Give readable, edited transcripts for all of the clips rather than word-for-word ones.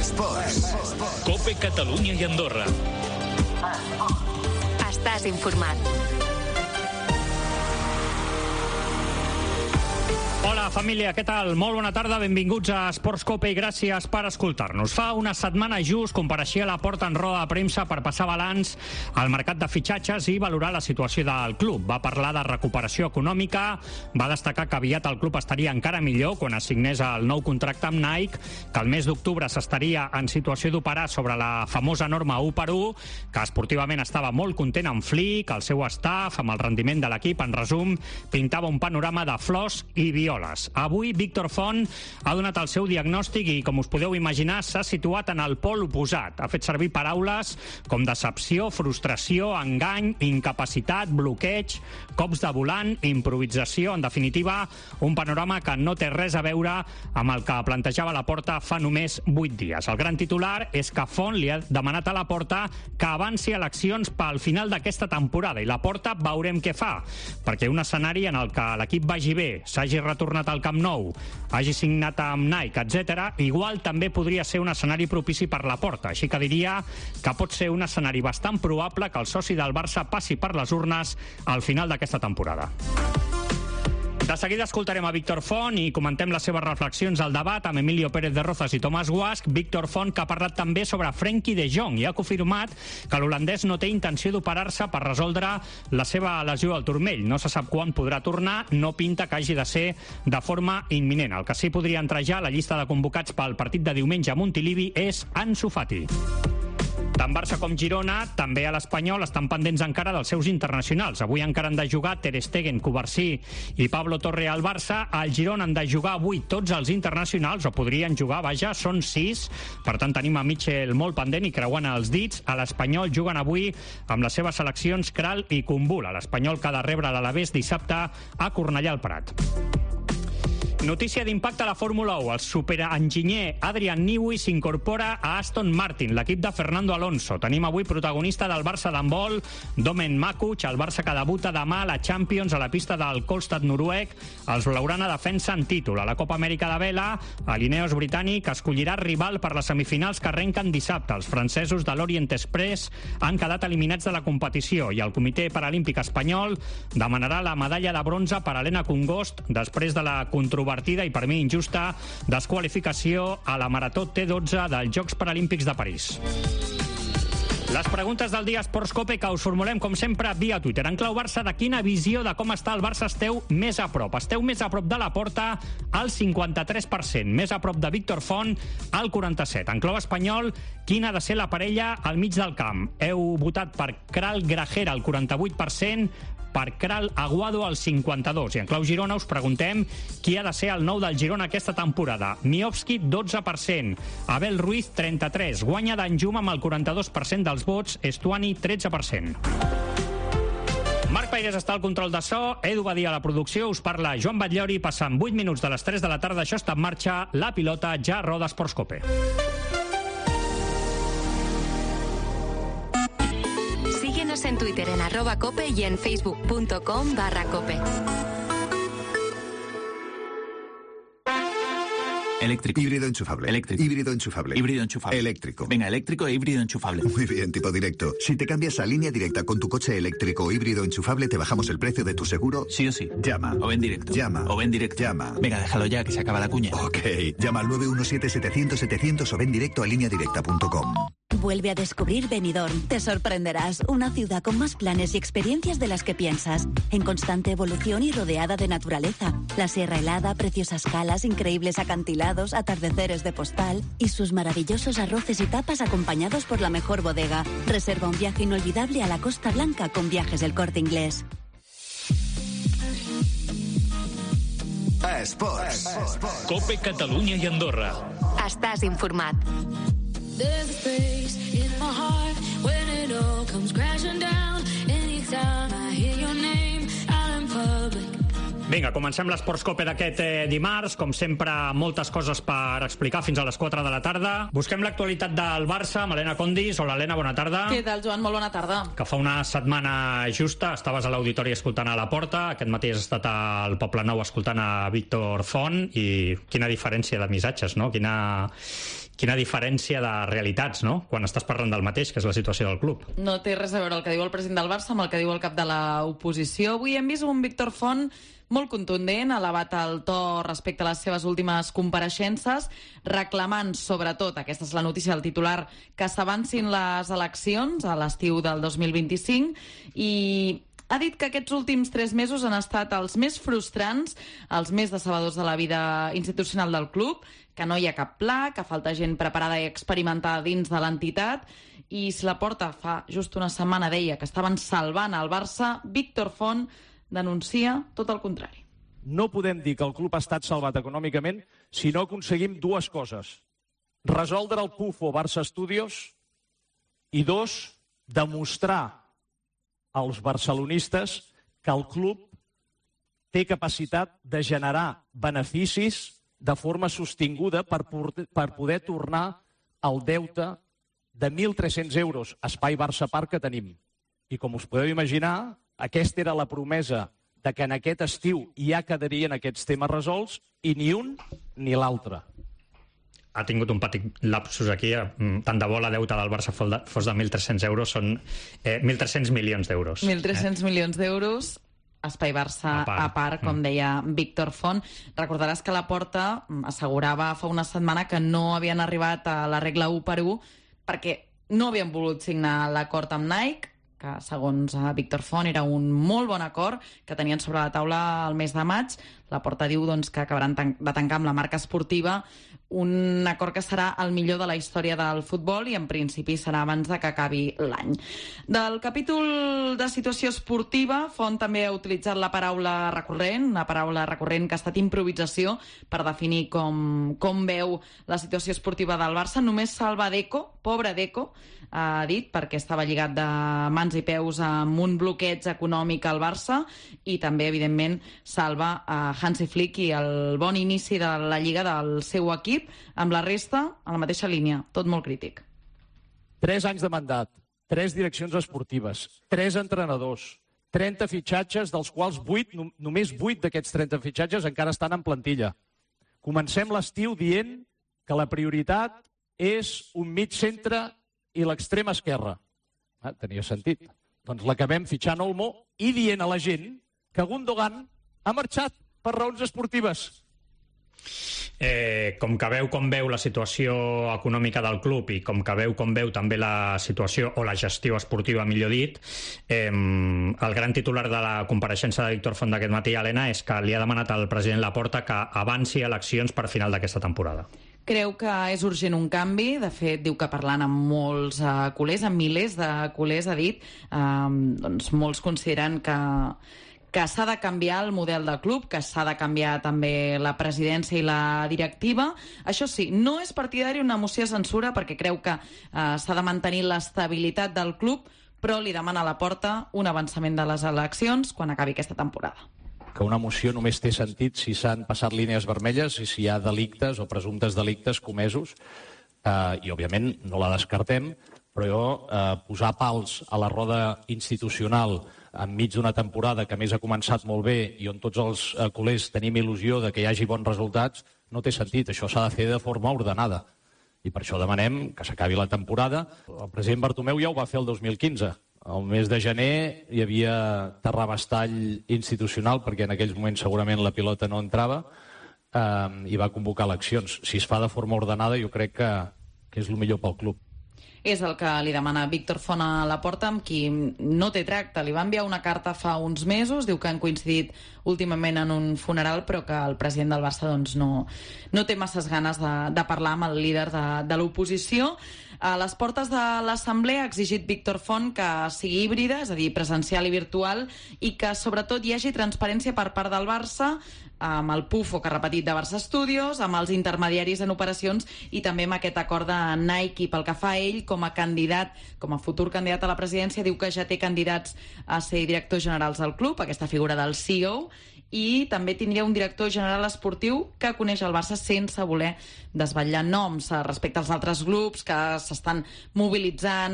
Esports. COPE Catalunya i Andorra. Estàs informat. Hola, família, què tal? Molt bona tarda, benvinguts a Esports COPE i gràcies per escoltar-nos. Fa una setmana just compareixia Laporta en roda de premsa per passar balanç al mercat de fitxatges i valorar la situació del club. Va parlar de recuperació econòmica, va destacar que aviat el club estaria encara millor quan assignés el nou contracte amb Nike, que el mes d'octubre s'estaria en situació d'operar sobre la famosa norma 1/1, que esportivament estava molt content amb Flick, el seu staff, amb el rendiment de l'equip. En resum, pintava un panorama de flors i violes. Avui, Víctor Font ha donat el seu diagnòstic i, com us podeu imaginar, s'ha situat en el pol oposat. Ha fet servir paraules com decepció, frustració, engany, incapacitat, bloqueig, cops de volant, improvisació. En definitiva, un panorama que no té res a veure amb el que plantejava Laporta fa només 8 dies. El gran titular és que Font li ha demanat a Laporta que avanci eleccions pel final d'aquesta temporada i Laporta veurem què fa, perquè un escenari en el que l'equip vagi bé, s'hagi retornat al Camp Nou, hagi signat amb Nike, etc., igual també podria ser un escenari propici per Laporta. Així que diria que pot ser un escenari bastant probable que el soci del Barça passi per les urnes al final d'aquesta temporada. De seguida escoltarem a Víctor Font i comentem les seves reflexions al debat amb Emilio Pérez de Rozas i Tomàs Guasch. Víctor Font, que ha parlat també sobre Frenkie de Jong i ha confirmat que l'holandès no té intenció d'operar-se per resoldre la seva lesió al turmell. No se sap quan podrà tornar, no pinta que hagi de ser de forma imminent. El que sí podria entrar ja a la llista de convocats pel partit de diumenge a Montilivi és Ansu Fati. Tant Barça com Girona, també a l'Espanyol, estan pendents encara dels seus internacionals. Avui encara han de jugar Ter Stegen, Cubarsí i Pablo Torre al Barça. Al Girona han de jugar avui tots els internacionals, o podrien jugar, vaja, són 6. Per tant, tenim a Mitchell molt pendent i creuant els dits. A l'Espanyol juguen avui amb les seves seleccions Kral i Kumbul. A l'Espanyol que ha de rebre l'Alavés dissabte a Cornellà al Prat. Notícia d'impacte a la Fórmula 1. El superenginyer Adrian Newey s'incorpora a Aston Martin, l'equip de Fernando Alonso. Tenim avui protagonista del Barça d'handbol, Domen Makuch, el Barça que debuta demà a la Champions a la pista del Kolstad noruec. Els blaugrana defensen títol. A la Copa Amèrica de vela, l'Ineos britànic escollirà rival per les semifinals que arrenquen dissabte. Els francesos de l'Orient Express han quedat eliminats de la competició i el Comitè Paralímpic Espanyol demanarà la medalla de bronze per a Helena Congost després de la controvertida i per mi injusta desqualificació a la Marató T12 dels Jocs Paralímpics de París. Les preguntes del dia Esports COPE que us formulem, com sempre, via Twitter. En clau Barça, de quina visió de com està el Barça esteu més a prop? Esteu més a prop de Laporta, al 53%. Més a prop de Víctor Font, al 47%. En clau espanyol, quina ha de ser la parella al mig del camp? Heu votat per Kral Grajera, al 48%, per Kral Aguado al 52%. I en clau Girona us preguntem qui ha de ser el nou del Girona aquesta temporada. Miovski, 12%. Abel Ruiz, 33%. Guanya d'Anjum amb el 42% dels vots. Estuani, 13%. Marc Paires està al control de so, Edu Badia a la producció, us parla Joan Batllori, passant 8 minuts de les 3 de la tarda, això està en marxa, la pilota ja roda Esports COPE. Síguenos en Twitter en @cope y en facebook.com/cope. Eléctrico. Híbrido enchufable. Eléctrico. Híbrido enchufable. Híbrido enchufable. Eléctrico. Venga, eléctrico e híbrido enchufable. Muy bien, tipo directo. Si te cambias a línea directa con tu coche eléctrico o híbrido enchufable, te bajamos el precio de tu seguro. Sí o sí. Llama. O ven directo. Llama. O ven directo. Llama. Venga, déjalo ya, que se acaba la cuña. Ok. Llama al 917-700-700 o ven directo a lineadirecta.com. Vuelve a descubrir Benidorm. Te sorprenderás. Una ciudad con más planes y experiencias de las que piensas. En constante evolución y rodeada de naturaleza. La sierra helada, preciosas calas, increíbles acantilados, atardeceres de postal y sus maravillosos arroces y tapas acompañados por la mejor bodega. Reserva un viaje inolvidable a la Costa Blanca con Viajes del Corte Inglés. Esports. COPE Catalunya i Andorra. Estàs informat. There's a space in my heart when it all comes crashing down. Anytime I hear your name out in public. Vinga, comencem l'Esports COPE d'aquest dimarts. Com sempre, moltes coses per explicar fins a les 4 de la tarda. Busquem l'actualitat del Barça amb Helena Condis. Hola, Helena, bona tarda. Què tal, Joan? Molt bona tarda. Que fa una setmana justa estaves a l'auditori escoltant a Laporta. Aquest matí has estat al Poble Nou escoltant a Víctor Font. I quina diferència de missatges, no? Quina diferència de realitats, no?, quan estàs parlant del mateix, que és la situació del club. No té res a veure el que diu el president del Barça amb el que diu el cap de l'oposició. Avui hem vist un Víctor Font molt contundent, elevat el to respecte a les seves últimes compareixences, reclamant, sobretot, aquesta és la notícia del titular, que s'avancin les eleccions a l'estiu del 2025, i ha dit que aquests últims 3 mesos han estat els més frustrants, els més decebedors de la vida institucional del club, que no hi ha cap pla, que falta gent preparada i experimentada dins de l'entitat, i si Laporta fa just una setmana deia que estaven salvant el Barça, Víctor Font denuncia tot el contrari. No podem dir que el club ha estat salvat econòmicament si no aconseguim 2 coses. Resoldre el pufo Barça Studios i 2, demostrar als barcelonistes que el club té capacitat de generar beneficis de forma sostinguda per poder tornar al deute de 1.300 euros Espai Barça Park que tenim. I com us podeu imaginar, aquesta era la promesa de que en aquest estiu ja quedarien aquests temes resolts i ni un ni l'altre. Ha tingut un petit lapsus aquí. Tant de bo la deuta del Barça fos de 1.300 euros, són 1.300 milions d'euros. 1.300 milions d'euros, Espai Barça a part, com deia Víctor Font. Recordaràs que Laporta assegurava fa una setmana que no havien arribat a la regla 1-1 perquè no havien volut signar l'acord amb Nike, que segons Víctor Font era un molt bon acord que tenien sobre la taula el mes de maig. Laporta diu que acabaran de tancar amb la marca esportiva un acord que serà el millor de la història del futbol i en principi serà abans de que acabi l'any. Del capítol de situació esportiva, Font també ha utilitzat la paraula recurrent, una paraula recurrent que ha estat improvisació per definir com veu la situació esportiva del Barça. Només salva Deco, pobre Deco, ha dit, perquè estava lligat de mans i peus amb un bloqueig econòmic al Barça, i també, evidentment, salva a Hansi Flick i el bon inici de la Lliga del seu equip, amb la resta a la mateixa línia, tot molt crític. 3 anys de mandat, 3 direccions esportives, 3 entrenadors, 30 fitxatges, dels quals només 8 d'aquests 30 fitxatges encara estan en plantilla. Comencem l'estiu dient que la prioritat és un mig centre i l'extrema esquerra. Tenia sentit. Doncs l'acabem fitxant Olmo i dient a la gent que Gundogan ha marxat per raons esportives. Com que veu com veu la situació econòmica del club i com que veu com veu també la situació o la gestió esportiva, millor dit, el gran titular de la compareixença de Víctor Font d'aquest matí, Helena, és que li ha demanat al president Laporta que avanci eleccions per final d'aquesta temporada. Creu que és urgent un canvi. De fet, diu que parlant amb molts culers, amb milers de culers, ha dit, molts consideren que s'ha de canviar el model de club, que s'ha de canviar també la presidència i la directiva. Això sí, no és partidari una moció de censura perquè creu que s'ha de mantenir l'estabilitat del club, però li demana a Laporta un avançament de les eleccions quan acabi aquesta temporada. Que una moció només té sentit si s'han passat línies vermelles i si hi ha delictes o presumptes delictes comesos, i òbviament no la descartem, però posar pals a la roda institucional enmig d'una temporada que a més ha començat molt bé i on tots els culers tenim il·lusió de que hi hagi bons resultats, no té sentit. Això s'ha de fer de forma ordenada. I per això demanem que s'acabi la temporada. El president Bartomeu ja ho va fer el 2015. Al mes de gener hi havia terrabastall institucional, perquè en aquells moments segurament la pilota no entrava, i va convocar eleccions. Si es fa de forma ordenada, jo crec que és el millor pel club. És el que li demana Víctor Font a Laporta, amb qui no té tracte. Li va enviar una carta fa uns mesos, diu que han coincidit últimament en un funeral, però que el president del Barça no té masses ganes de parlar amb el líder de l'oposició. A les portes de l'Assemblea ha exigit Víctor Font que sigui híbrida, és a dir, presencial i virtual, i que sobretot hi hagi transparència per part del Barça, amb el pufo que ha repetit de Barça Studios, amb els intermediaris en operacions i també amb aquest acord de Nike. Pel que fa a ell, com a candidat, com a futur candidat a la presidència, diu que ja té candidats a ser directors generals del club, aquesta figura del CEO, i també tindria un director general esportiu que coneix el Barça sense voler desvetllar noms respecte als altres grups que s'estan mobilitzant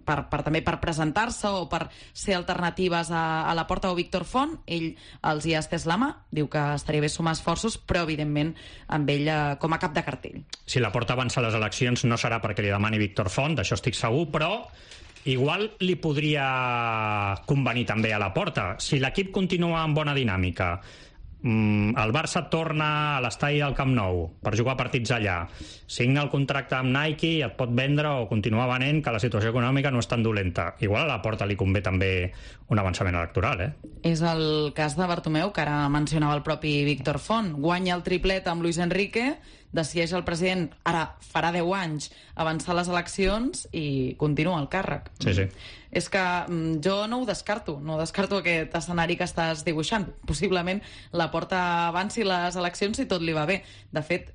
també per presentar-se o per ser alternatives a Laporta o Víctor Font. Ell els hi ha estès la mà, diu que estaria bé sumar esforços, però evidentment amb ell com a cap de cartell. Si Laporta avança a les eleccions no serà perquè li demani Víctor Font, d'això estic segur, però igual li podria convenir també a Laporta. Si l'equip continua amb bona dinàmica, el Barça torna a l'estadi del Camp Nou per jugar partits allà, signa el contracte amb Nike i et pot vendre o continuar venent que la situació econòmica no és tan dolenta. Igual a Laporta li convé també un avançament electoral, És el cas de Bartomeu, que ara mencionava el propi Víctor Font. Guanya el triplet amb Luis Enrique, decideix el president, ara farà 10 anys, avançar les eleccions i continua el càrrec. Sí. És que jo no ho descarto, aquest escenari que estàs dibuixant. Possiblement Laporta avanci les eleccions si tot li va bé. De fet,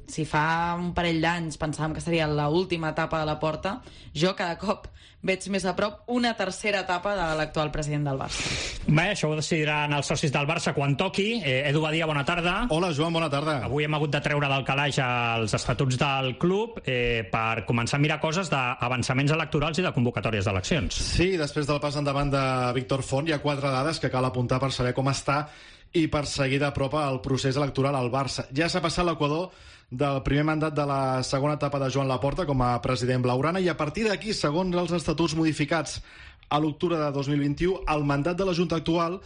si fa un parell d'anys pensàvem que seria l'última etapa de Laporta, jo cada cop veig més a prop una tercera etapa de l'actual president del Barça. Bé, això ho decidiran els socis del Barça quan toqui. Edu Badia, bona tarda. Hola, Joan, bona tarda. Avui hem hagut de treure del calaix els estatuts del club per començar a mirar coses d'avançaments electorals i de convocatòries d'eleccions. Sí, després del pas endavant de Víctor Font hi ha 4 dades que cal apuntar per saber com està i per seguir de prop el procés electoral al Barça. Ja s'ha passat l'equador del primer mandat de la segona etapa de Joan Laporta com a president blaugrana i a partir d'aquí, segons els estatuts modificats a l'octubre de 2021, el mandat de la Junta actual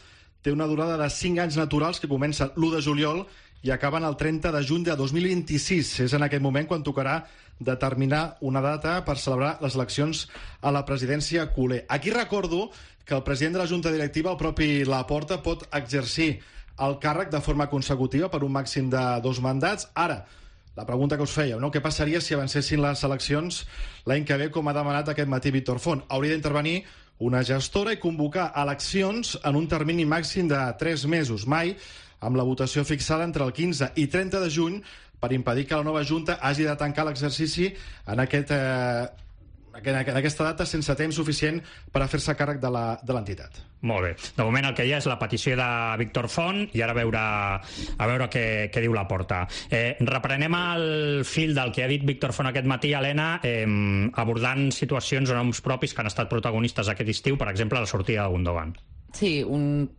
té una durada de 5 anys naturals que comença l'1 de juliol i acaben el 30 de juny de 2026. És en aquest moment quan tocarà determinar una data per celebrar les eleccions a la presidència culer. Aquí recordo que el president de la Junta Directiva, el propi Laporta, pot exercir el càrrec de forma consecutiva per un màxim de 2 mandats. Ara, la pregunta que us fèieu, no? Què passaria si avancessin les eleccions l'any que ve, com ha demanat aquest matí Víctor Font? Hauria d'intervenir una gestora i convocar eleccions en un termini màxim de 3 mesos, mai amb la votació fixada entre el 15 i 30 de juny per impedir que la nova Junta hagi de tancar l'exercici en aquesta data sense temps suficient per a fer-se càrrec de l'entitat. Molt bé. De moment el que hi ha és la petició de Víctor Font i ara a veure què diu Laporta. Reprenem el fil del que ha dit Víctor Font aquest matí, Helena, abordant situacions o noms propis que han estat protagonistes aquest estiu, per exemple, la sortida de Gundogan. Sí, un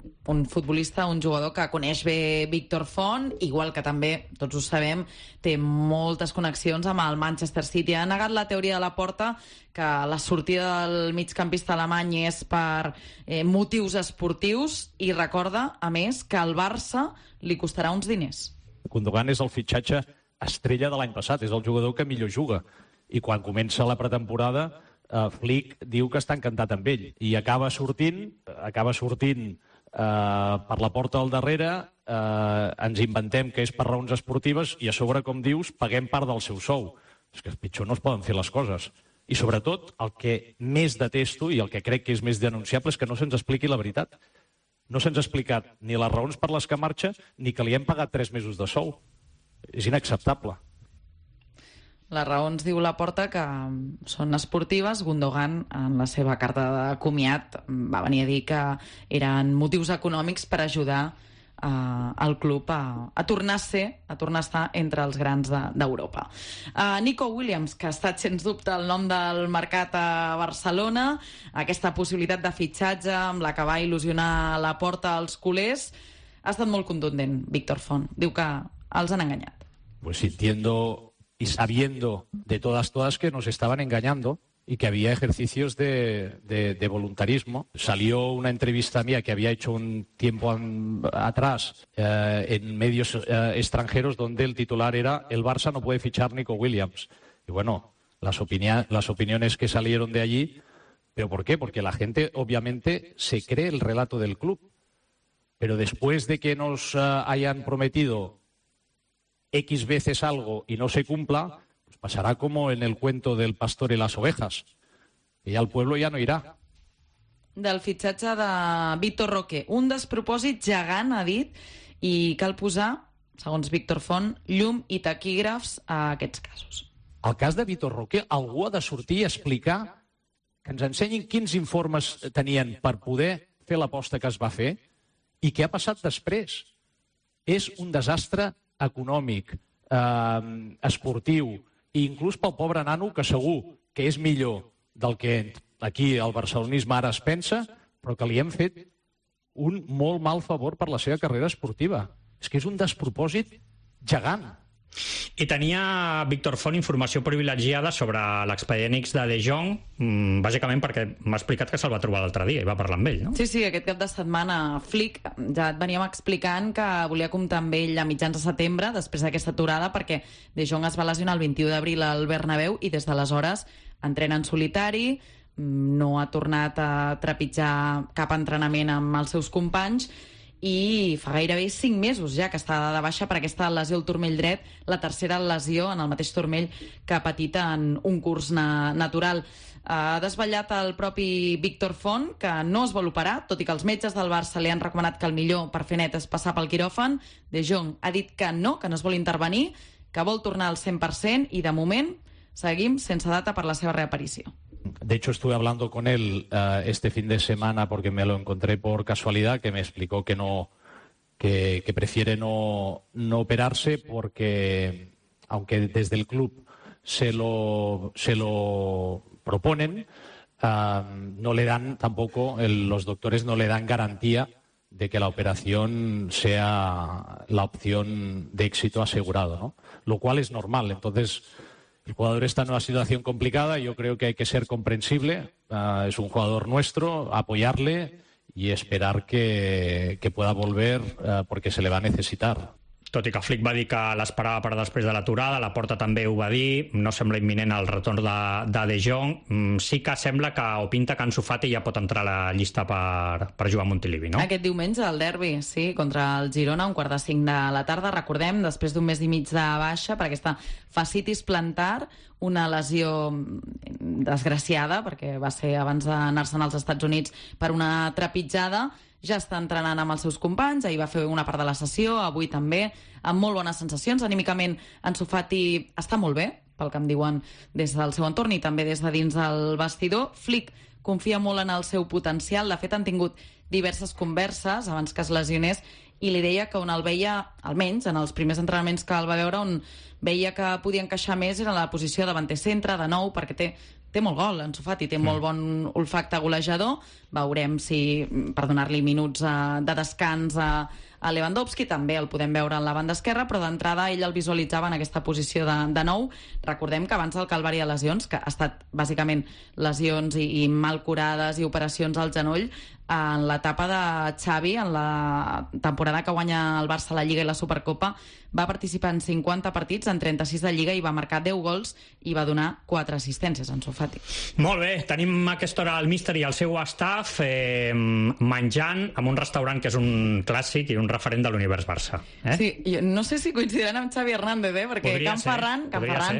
futbolista, un jugador que coneix bé Víctor Font, igual que també, tots ho sabem, té moltes connexions amb el Manchester City. Ha negat la teoria de Laporta que la sortida del migcampista alemany és per motius esportius i recorda, a més, que al Barça li costarà uns diners. Gundogan és el fitxatge estrella de l'any passat, és el jugador que millor juga. I quan comença la pretemporada, Flick diu que està encantat amb ell i acaba sortint per la porta al darrere, ens inventem que és per raons esportives i a sobre, com dius, paguem part del seu sou. És que pitjor no es poden fer les coses. I sobretot, el que més detesto i el que crec que és més denunciable és que no se'ns expliqui la veritat. No se'ns ha explicat ni les raons per les que marxa ni que li hem pagat 3 mesos de sou. És inacceptable. Les raons, diu Laporta, que són esportives. Gundogan, en la seva carta de comiat, va venir a dir que eren motius econòmics per ajudar el club a tornar a estar entre els grans d'Europa. Nico Williams, que ha estat, sens dubte, el nom del mercat a Barcelona, aquesta possibilitat de fitxatge amb la que va il·lusionar Laporta als culers, ha estat molt contundent, Víctor Font. Diu que els han enganyat. Pues sintiendo y sabiendo de todas que nos estaban engañando y que había ejercicios de voluntarismo. Salió una entrevista mía que había hecho un tiempo atrás en medios extranjeros donde el titular era «El Barça no puede fichar Nico Williams». Y bueno, las opiniones que salieron de allí, ¿pero por qué? Porque la gente obviamente se cree el relato del club. Pero después de que nos hayan prometido X veces algo y no se cumpla, pues pasará como en el cuento del pastor y las ovejas, que ya el pueblo ya no irá. Del fitxatge de Vitor Roque, un despropòsit gegant, ha dit, i cal posar, segons Víctor Font, llum i taquígrafs a aquests casos. El cas de Vitor Roque, algú ha de sortir a explicar, que ens ensenyin quins informes tenien per poder fer l'aposta que es va fer I què ha passat després? És un desastre econòmic, esportiu, i inclús pel pobre nano, que segur que és millor del que aquí el barcelonisme ara es pensa, però que li hem fet un molt mal favor per la seva carrera esportiva. És que és un despropòsit gegant. I tenia Víctor Font informació privilegiada sobre l'expedient X de De Jong, bàsicament perquè m'ha explicat que se'l va trobar l'altre dia i va parlar amb ell, no? Sí, aquest cap de setmana Flick ja et veníem explicant que volia comptar amb ell a mitjans de setembre, després d'aquesta aturada, perquè De Jong es va lesionar el 21 d'abril al Bernabéu i des d'aleshores entrena en solitari, no ha tornat a trepitjar cap entrenament amb els seus companys i fa gairebé 5 mesos ja que està de baixa per aquesta lesió al turmell dret, la tercera lesió en el mateix turmell que ha patit en un curs natural. Ha desvetllat el propi Víctor Font que no es vol operar, tot i que els metges del Barça li han recomanat que el millor per fer net és passar pel quiròfan. De Jong ha dit que no es vol intervenir, que vol tornar al 100% i de moment seguim sense data per la seva reaparició. De hecho, estuve hablando con él este fin de semana porque me lo encontré por casualidad, que me explicó que prefiere no operarse porque, aunque desde el club se lo proponen, no le dan tampoco, los doctores no le dan garantía de que la operación sea la opción de éxito asegurado, ¿no? Lo cual es normal. Entonces, el jugador está en una situación complicada y yo creo que hay que ser comprensible. Es un jugador nuestro, apoyarle y esperar que pueda volver porque se le va a necesitar. Tot i que Flick va dir que l'esperava per després de l'aturada, Laporta també ho va dir, no sembla imminent el retorn de Jong. Sí que sembla que o pinta que Ansu Fati ja pot entrar a la llista per jugar a Montilivi, no? Aquest diumenge el derbi, sí, contra el Girona, 4:45 de la tarda. Recordem, després d'un mes i mig de baixa per aquesta fascitis plantar, una lesió desgraciada, perquè va ser abans d'anar-se'n als Estats Units per una trepitjada. Ja està entrenant amb els seus companys, ahir va fer una part de la sessió, avui també, amb molt bones sensacions. Anímicament, Ansu Fati està molt bé, pel que em diuen des del seu entorn i també des de dins del vestidor. Flick confia molt en el seu potencial. De fet, han tingut diverses converses abans que es lesionés i li deia que on el veia, almenys en els primers entrenaments que el va veure, on veia que podia encaixar més era en la posició de davanter centre, de nou, perquè té molt gol, Ansu Fati, té molt bon olfacte golejador. Veurem si, per donar-li minuts de descans a Lewandowski, també el podem veure en la banda esquerra, però d'entrada ell el visualitzava en aquesta posició de nou. Recordem que abans del calvari de lesions, que ha estat bàsicament lesions i mal curades i operacions al genoll, en l'etapa de Xavi, en la temporada que guanya el Barça la Lliga i la Supercopa, va participar en 50 partits, en 36 de Lliga, i va marcar 10 gols i va donar 4 assistències, Ansu Fati. Molt bé, tenim a aquesta hora el míster i el seu staff menjant en un restaurant que és un clàssic i un referent de l'univers Barça. Sí, jo no sé si coincidiran amb Xavi Hernández, perquè podria Can Ferran,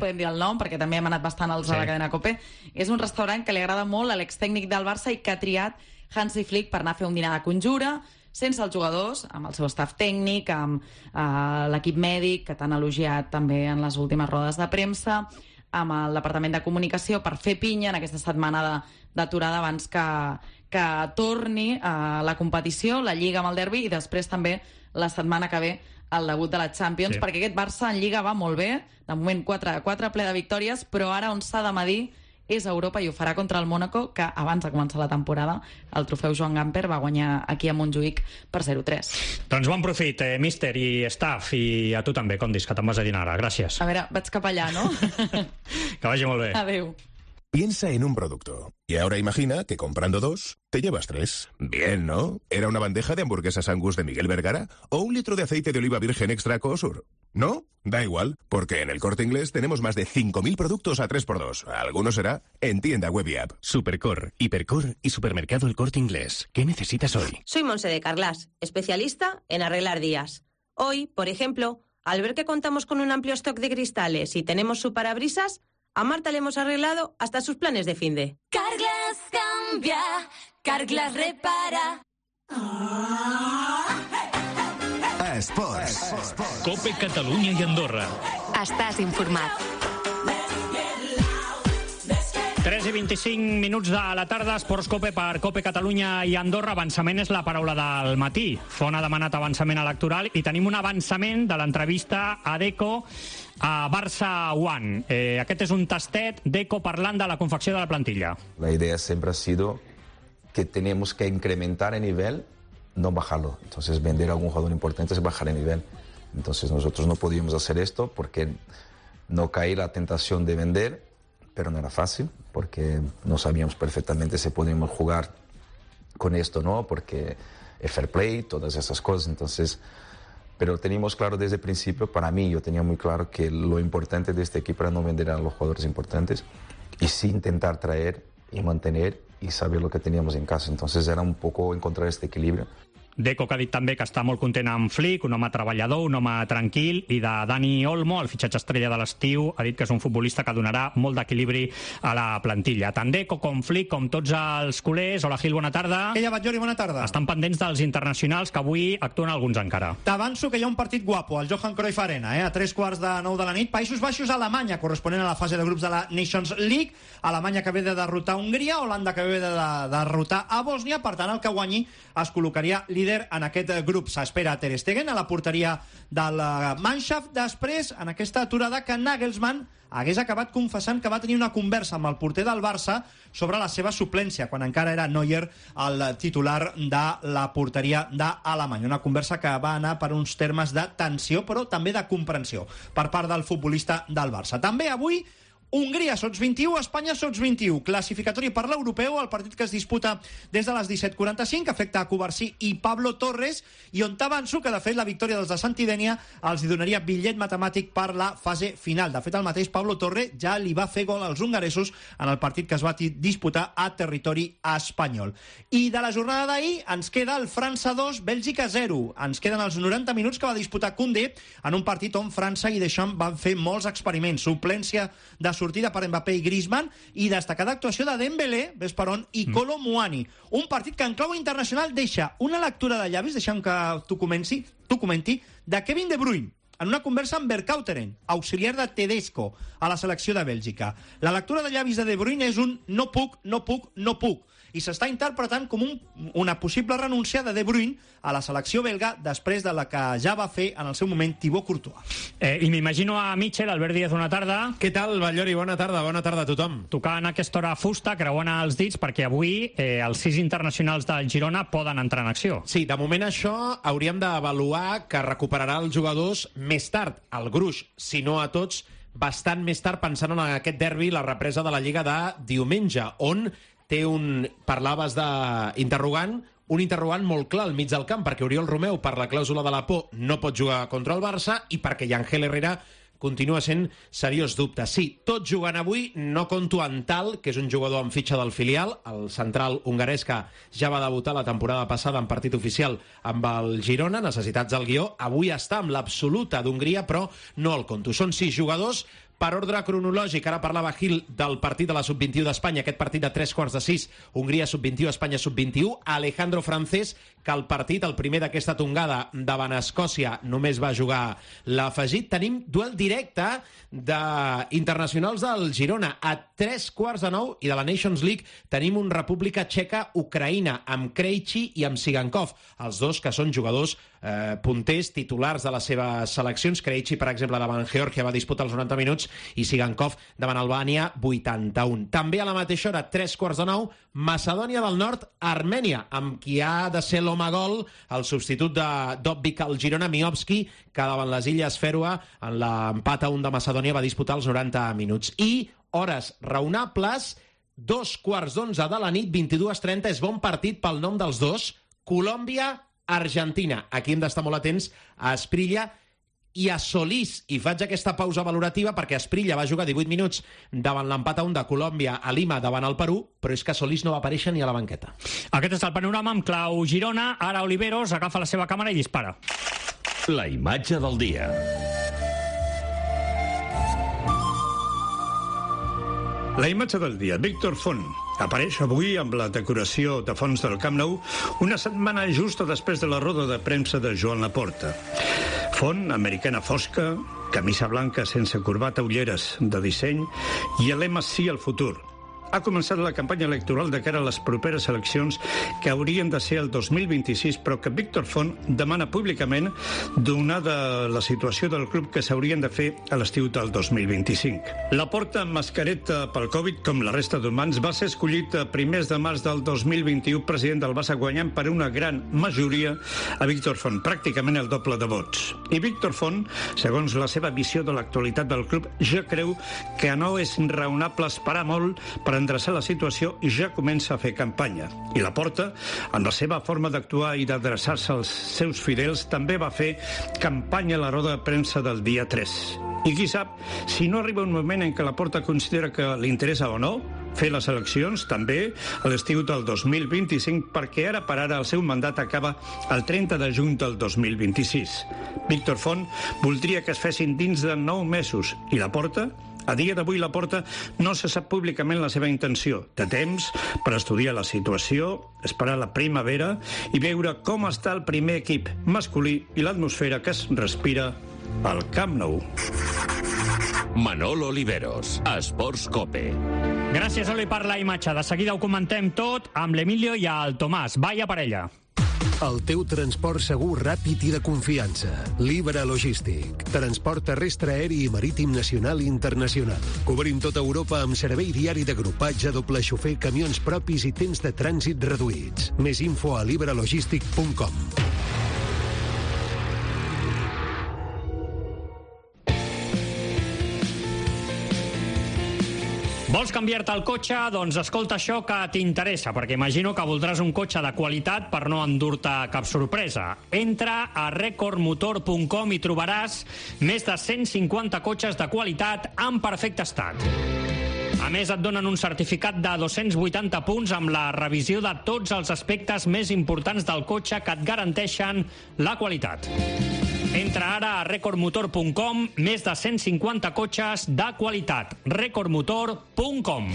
podem dir el nom, perquè també hem anat bastant als a la cadena COPE, és un restaurant que li agrada molt a l'extècnic del Barça i que ha triat Hansi Flick per anar a fer un dinar de conjura, sense els jugadors, amb el seu staff tècnic, amb l'equip mèdic, que t'han elogiat també en les últimes rodes de premsa, amb el Departament de Comunicació, per fer pinya en aquesta setmana d'aturada abans que torni a la competició, la Lliga amb el derbi, i després també la setmana que ve el debut de la Champions, perquè aquest Barça en Lliga va molt bé, de moment 4 ple de victòries, però ara on s'ha de medir és a Europa i ho farà contra el Mónaco, que abans de començar la temporada el trofeu Joan Gamper va guanyar aquí a Montjuïc per 0-3. Doncs bon profit, míster i staff, i a tu també, Condis, que te'n vas a dinar ara. Gràcies. A veure, vaig cap allà, no? Que vagi molt bé. Adéu. Piensa en un producto y ahora imagina que comprando 2 te llevas 3. Bien, ¿no? ¿Era una bandeja de hamburguesas Angus de Miguel Vergara o un litro de aceite de oliva virgen extra Cosur? ¿No? Da igual, porque en El Corte Inglés tenemos más de 5.000 productos a 3x2. Alguno será en tienda web y app. Supercor, Hipercor y Supermercado El Corte Inglés. ¿Qué necesitas hoy? Soy Monse de Carlas, especialista en arreglar días. Hoy, por ejemplo, al ver que contamos con un amplio stock de cristales y tenemos su parabrisas, a Marta le hemos arreglado hasta sus planes de finde. Carglass cambia, Carglass repara. Esports. COPE Catalunya i Andorra. Estàs informat. 3:25 de la tarda, Esports Cope per Cope Catalunya i Andorra. Avançament és la paraula del matí. Font ha demanat avançament electoral i tenim un avançament de l'entrevista a Deco a Barça One. Aquest és un tastet, Deco parlant de la confecció de la plantilla. La idea siempre ha sido que tenemos que incrementar el nivel, no bajarlo. Entonces vender a algún jugador importante es bajar el nivel. Entonces nosotros no podíamos hacer esto porque no caí la tentación de vender, pero no era fácil porque no sabíamos perfectamente si podíamos jugar con esto, ¿no? Porque el fair play, todas esas cosas. Entonces, pero teníamos claro desde el principio, para mí, yo tenía muy claro que lo importante de este equipo era no vender a los jugadores importantes y sí intentar traer y mantener y saber lo que teníamos en casa. Entonces era un poco encontrar este equilibrio. Deco, que ha dit també que està molt content amb Flick, un home treballador, un home tranquil, i de Dani Olmo, el fitxatge estrella de l'estiu, ha dit que és un futbolista que donarà molt d'equilibri a la plantilla. Tant Deco com Flick, com tots els culers. Hola, Gil, bona tarda. Què hi ha, Batllori, bona tarda. Estan pendents dels internacionals, que avui actuen alguns encara. T'avanço que hi ha un partit guapo, al Johan Cruyff Arena, a 9:15 de la nit. Països Baixos, Alemanya, corresponent a la fase de grups de la Nations League. Alemanya que ve de derrotar Hongria, Holanda que ve de derrotar a Bòsnia. Per tant, el que guanyi es col·locaria líder en aquest grup. S'espera Ter Stegen a la porteria del Mannschaft. Després, en aquesta aturada, que Nagelsmann hagués acabat confessant que va tenir una conversa amb el porter del Barça sobre la seva suplència, quan encara era Neuer el titular de la porteria d'Alemanya. Una conversa que va anar per uns termes de tensió, però també de comprensió per part del futbolista del Barça. També avui Hongria sots 21, Espanya sots 21. Classificatori per l'europeu, el partit que es disputa des de les 17:45, afecta a Covarsí i Pablo Torres, i on t'avanço que, de fet, la victòria dels de Santidènia els donaria bitllet matemàtic per la fase final. De fet, el mateix Pablo Torre ja li va fer gol als hongaresos en el partit que es va disputar a territori espanyol. I de la jornada d'ahir ens queda el França 2, Bèlgica 0. Ens queden els 90 minuts que va disputar Koundé en un partit on França i Deschamps van fer molts experiments. Suplència de sortida per Mbappé i Griezmann i destacada actuació de Dembélé, ves per on, i Kolo Muani. Un partit que en clau internacional deixa una lectura de llavis, deixa'm que tu comenti, de Kevin De Bruyne, en una conversa amb Vercauteren, auxiliar de Tedesco a la selecció de Bèlgica. La lectura de llavis de De Bruyne és un no puc, no puc, no puc, i s'està interpretant com una possible renúncia de De Bruyne a la selecció belga després de la que ja va fer en el seu moment Thibaut Courtois. I m'imagino a Mitchell, Albert Díaz, bona tarda. Què tal, Batllori? Bona tarda a tothom. Tocant a aquesta hora fusta, creuant els dits, perquè avui els 6 internacionals del Girona poden entrar en acció. Sí, de moment això hauríem d'avaluar que recuperarà els jugadors més tard. El gruix, si no a tots, bastant més tard, pensant en aquest derbi, la represa de la Lliga de diumenge, on té parlaves d'interrogant, un interrogant molt clar al mig del camp, perquè Oriol Romeu, per la clàusula de la por, no pot jugar contra el Barça, i perquè Yangel Herrera continua sent seriós dubte. Sí, tot jugant avui, no conto en Tal, que és un jugador amb fitxa del filial, el central hongarès que ja va debutar la temporada passada en partit oficial amb el Girona, necessitats del guió. Avui està amb l'absoluta d'Hongria, però no el conto. Són 6 jugadors. Per ordre cronològic, ara parlava Gil del partit de la Sub-21 d'Espanya, aquest partit de 3:15, Hongria Sub-21, Espanya Sub-21. Alejandro Francés, que el partit, el primer d'aquesta tongada davant Escòcia, només va jugar l'afegit. Tenim duel directe d'internacionals del Girona. A 8:45 i de la Nations League tenim un República Txeca-Ucraïna, amb Krejci i amb Sigankov, els dos que són jugadors punters, titulars de les seves seleccions. Krejci, per exemple, davant Geòrgia va disputar els 90 minuts i Sigankov davant Albània 81. També a la mateixa hora, 8:45, Macedònia del Nord, Armènia, amb qui ha de ser l'home gol, el substitut de Dobbik al Girona, Miovski, que davant les Illes Fèroe, en l'empat a 1 de Macedònia, va disputar els 90 minuts. I hores raonables, 2:15 de la nit, 22:30, és bon partit pel nom dels dos, Colòmbia-Argentina. Aquí hem d'estar molt atents a Asprilla i a Solís, i faig aquesta pausa valorativa perquè Asprilla va jugar 18 minuts davant l'empat a 1 de Colòmbia a Lima davant el Perú, però és que Solís no va aparèixer ni a la banqueta. Aquest és el panorama amb clau Girona. Ara Oliveros agafa la seva càmera i dispara. La imatge del dia. La imatge del dia. Víctor Font apareix avui amb la decoració de fons del Camp Nou una setmana justa després de la roda de premsa de Joan Laporta. Font, americana fosca, camisa blanca sense corbata, ulleres de disseny i el lema Sí al futur. ha començat la campanya electoral de cara a les properes eleccions que haurien de ser el 2026, però que Víctor Font demana públicament, donada la situació del club, que s'haurien de fer a l'estiu del 2025. Laporta, amb mascareta pel Covid, com la resta d'humans, va ser escollit a primers de març del 2021 president del Barça, guanyant per una gran majoria a Víctor Font, pràcticament el doble de vots. I Víctor Font, segons la seva visió de l'actualitat del club, ja creu que no és raonable esperar molt per endreçar la situació i ja comença a fer campanya. I Laporta, amb la seva forma d'actuar i d'adreçar-se als seus fidels, també va fer campanya a la roda de premsa del dia 3. I qui sap si no arriba un moment en què Laporta considera que li interessa o no fer les eleccions, també a l'estiu del 2025, perquè ara per ara el seu mandat acaba el 30 de juny del 2026. Víctor Font voldria que es fessin dins de 9 mesos i Laporta, a dia d'avui, Laporta no se sap públicament la seva intenció. Té temps per estudiar la situació, esperar la primavera i veure com està el primer equip masculí i l'atmosfera que es respira al Camp Nou. Manolo Oliveros, Esports Cope. Gràcies, Oli, per la imatge. De seguida ho comentem tot amb l'Emilio i el Tomàs. Vaya parella. El teu transport segur, ràpid i de confiança. Libra Logístic. Transport terrestre, aeri i marítim nacional i internacional. Cobrim tota Europa amb servei diari d'agrupatge, doble xofer, camions propis i temps de trànsit reduïts. Més info a libralogistic.com. Vols canviar-te el cotxe? Doncs escolta això que t'interessa, perquè imagino que voldràs un cotxe de qualitat per no endur-te cap sorpresa. Entra a recordmotor.com i trobaràs més de 150 cotxes de qualitat en perfecte estat. A més, et donen un certificat de 280 punts amb la revisió de tots els aspectes més importants del cotxe que et garanteixen la qualitat. Entra ara a recordmotor.com, més de 150 cotxes de qualitat. recordmotor.com.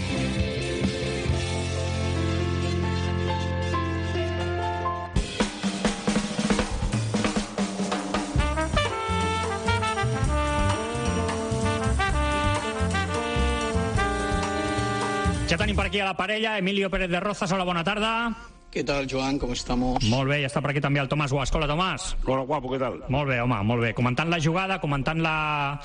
Ja tenim per aquí a la parella, Emilio Pérez de Rozas. Hola, bona tarda. ¿Qué tal, Joan? ¿Cómo estamos? Molt bé, ja està per aquí també el Tomàs Guasco. Hola, Tomàs. Hola, guapo, ¿qué tal? Molt bé, home, molt bé. Comentant la jugada, comentant la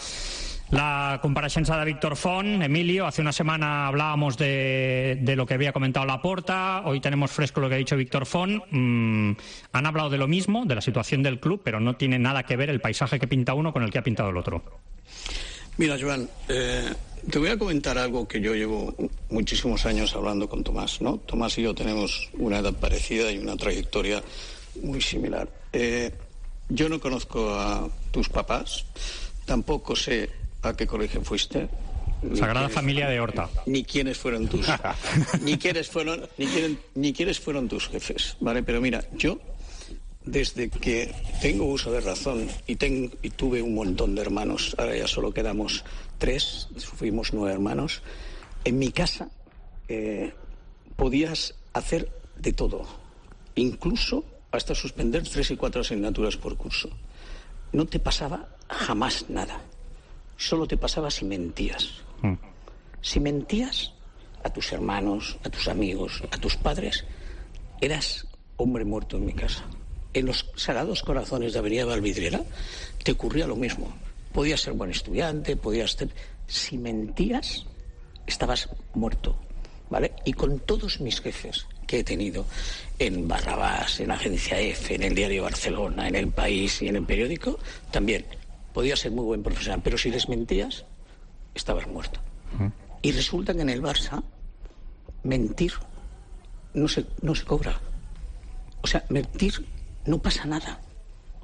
compareixença de Víctor Font. Emilio, hace una semana hablábamos de lo que había comentado Laporta, hoy tenemos fresco lo que ha dicho Víctor Font. Han hablado de lo mismo, de la situación del club, pero no tiene nada que ver el paisaje que pinta uno con el que ha pintado el otro. Mira, Joan, te voy a comentar algo que yo llevo muchísimos años hablando con Tomás, ¿no? Tomás y yo tenemos una edad parecida y una trayectoria muy similar. Yo no conozco a tus papás, tampoco sé a qué colegio fuiste. Sagrada Familia de Horta. Ni quiénes fueron tus ni quiénes fueron tus jefes, ¿vale? Pero mira, yo desde que tengo uso de razón y tuve un montón de hermanos, ahora ya solo quedamos 3, fuimos 9 hermanos, en mi casa podías hacer de todo, incluso hasta suspender 3 y 4 asignaturas por curso. No te pasaba jamás nada, solo te pasaba si mentías. Si mentías a tus hermanos, a tus amigos, a tus padres, eras hombre muerto en mi casa. En los Sagrados Corazones de Avenida Valvidriera te ocurría lo mismo. Podías ser buen estudiante, si mentías, estabas muerto, ¿vale? Y con todos mis jefes que he tenido en Barrabás, en Agencia F, en el Diario Barcelona, en El País y en El Periódico, también podías ser muy buen profesional, pero si les mentías, estabas muerto. Y resulta que en el Barça mentir no se cobra. O sea, mentir no pasa nada.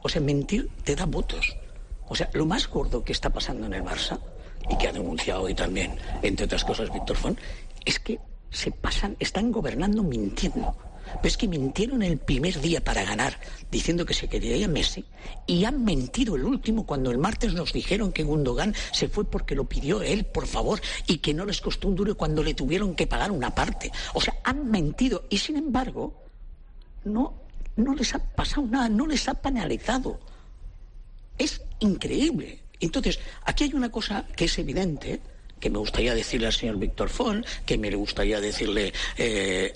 O sea, mentir te da votos. O sea, lo más gordo que está pasando en el Barça, y que ha denunciado hoy también, entre otras cosas, Víctor Font, es que están gobernando mintiendo. Pero es que mintieron el primer día para ganar, diciendo que se quería Messi, y han mentido el último cuando el martes nos dijeron que Gundogan se fue porque lo pidió él, por favor, y que no les costó un duro cuando le tuvieron que pagar una parte. O sea, han mentido, y sin embargo, no les ha pasado nada, no les ha penalizado. Es increíble. Entonces, aquí hay una cosa que es evidente, que me gustaría decirle al señor Víctor Font, que me gustaría decirle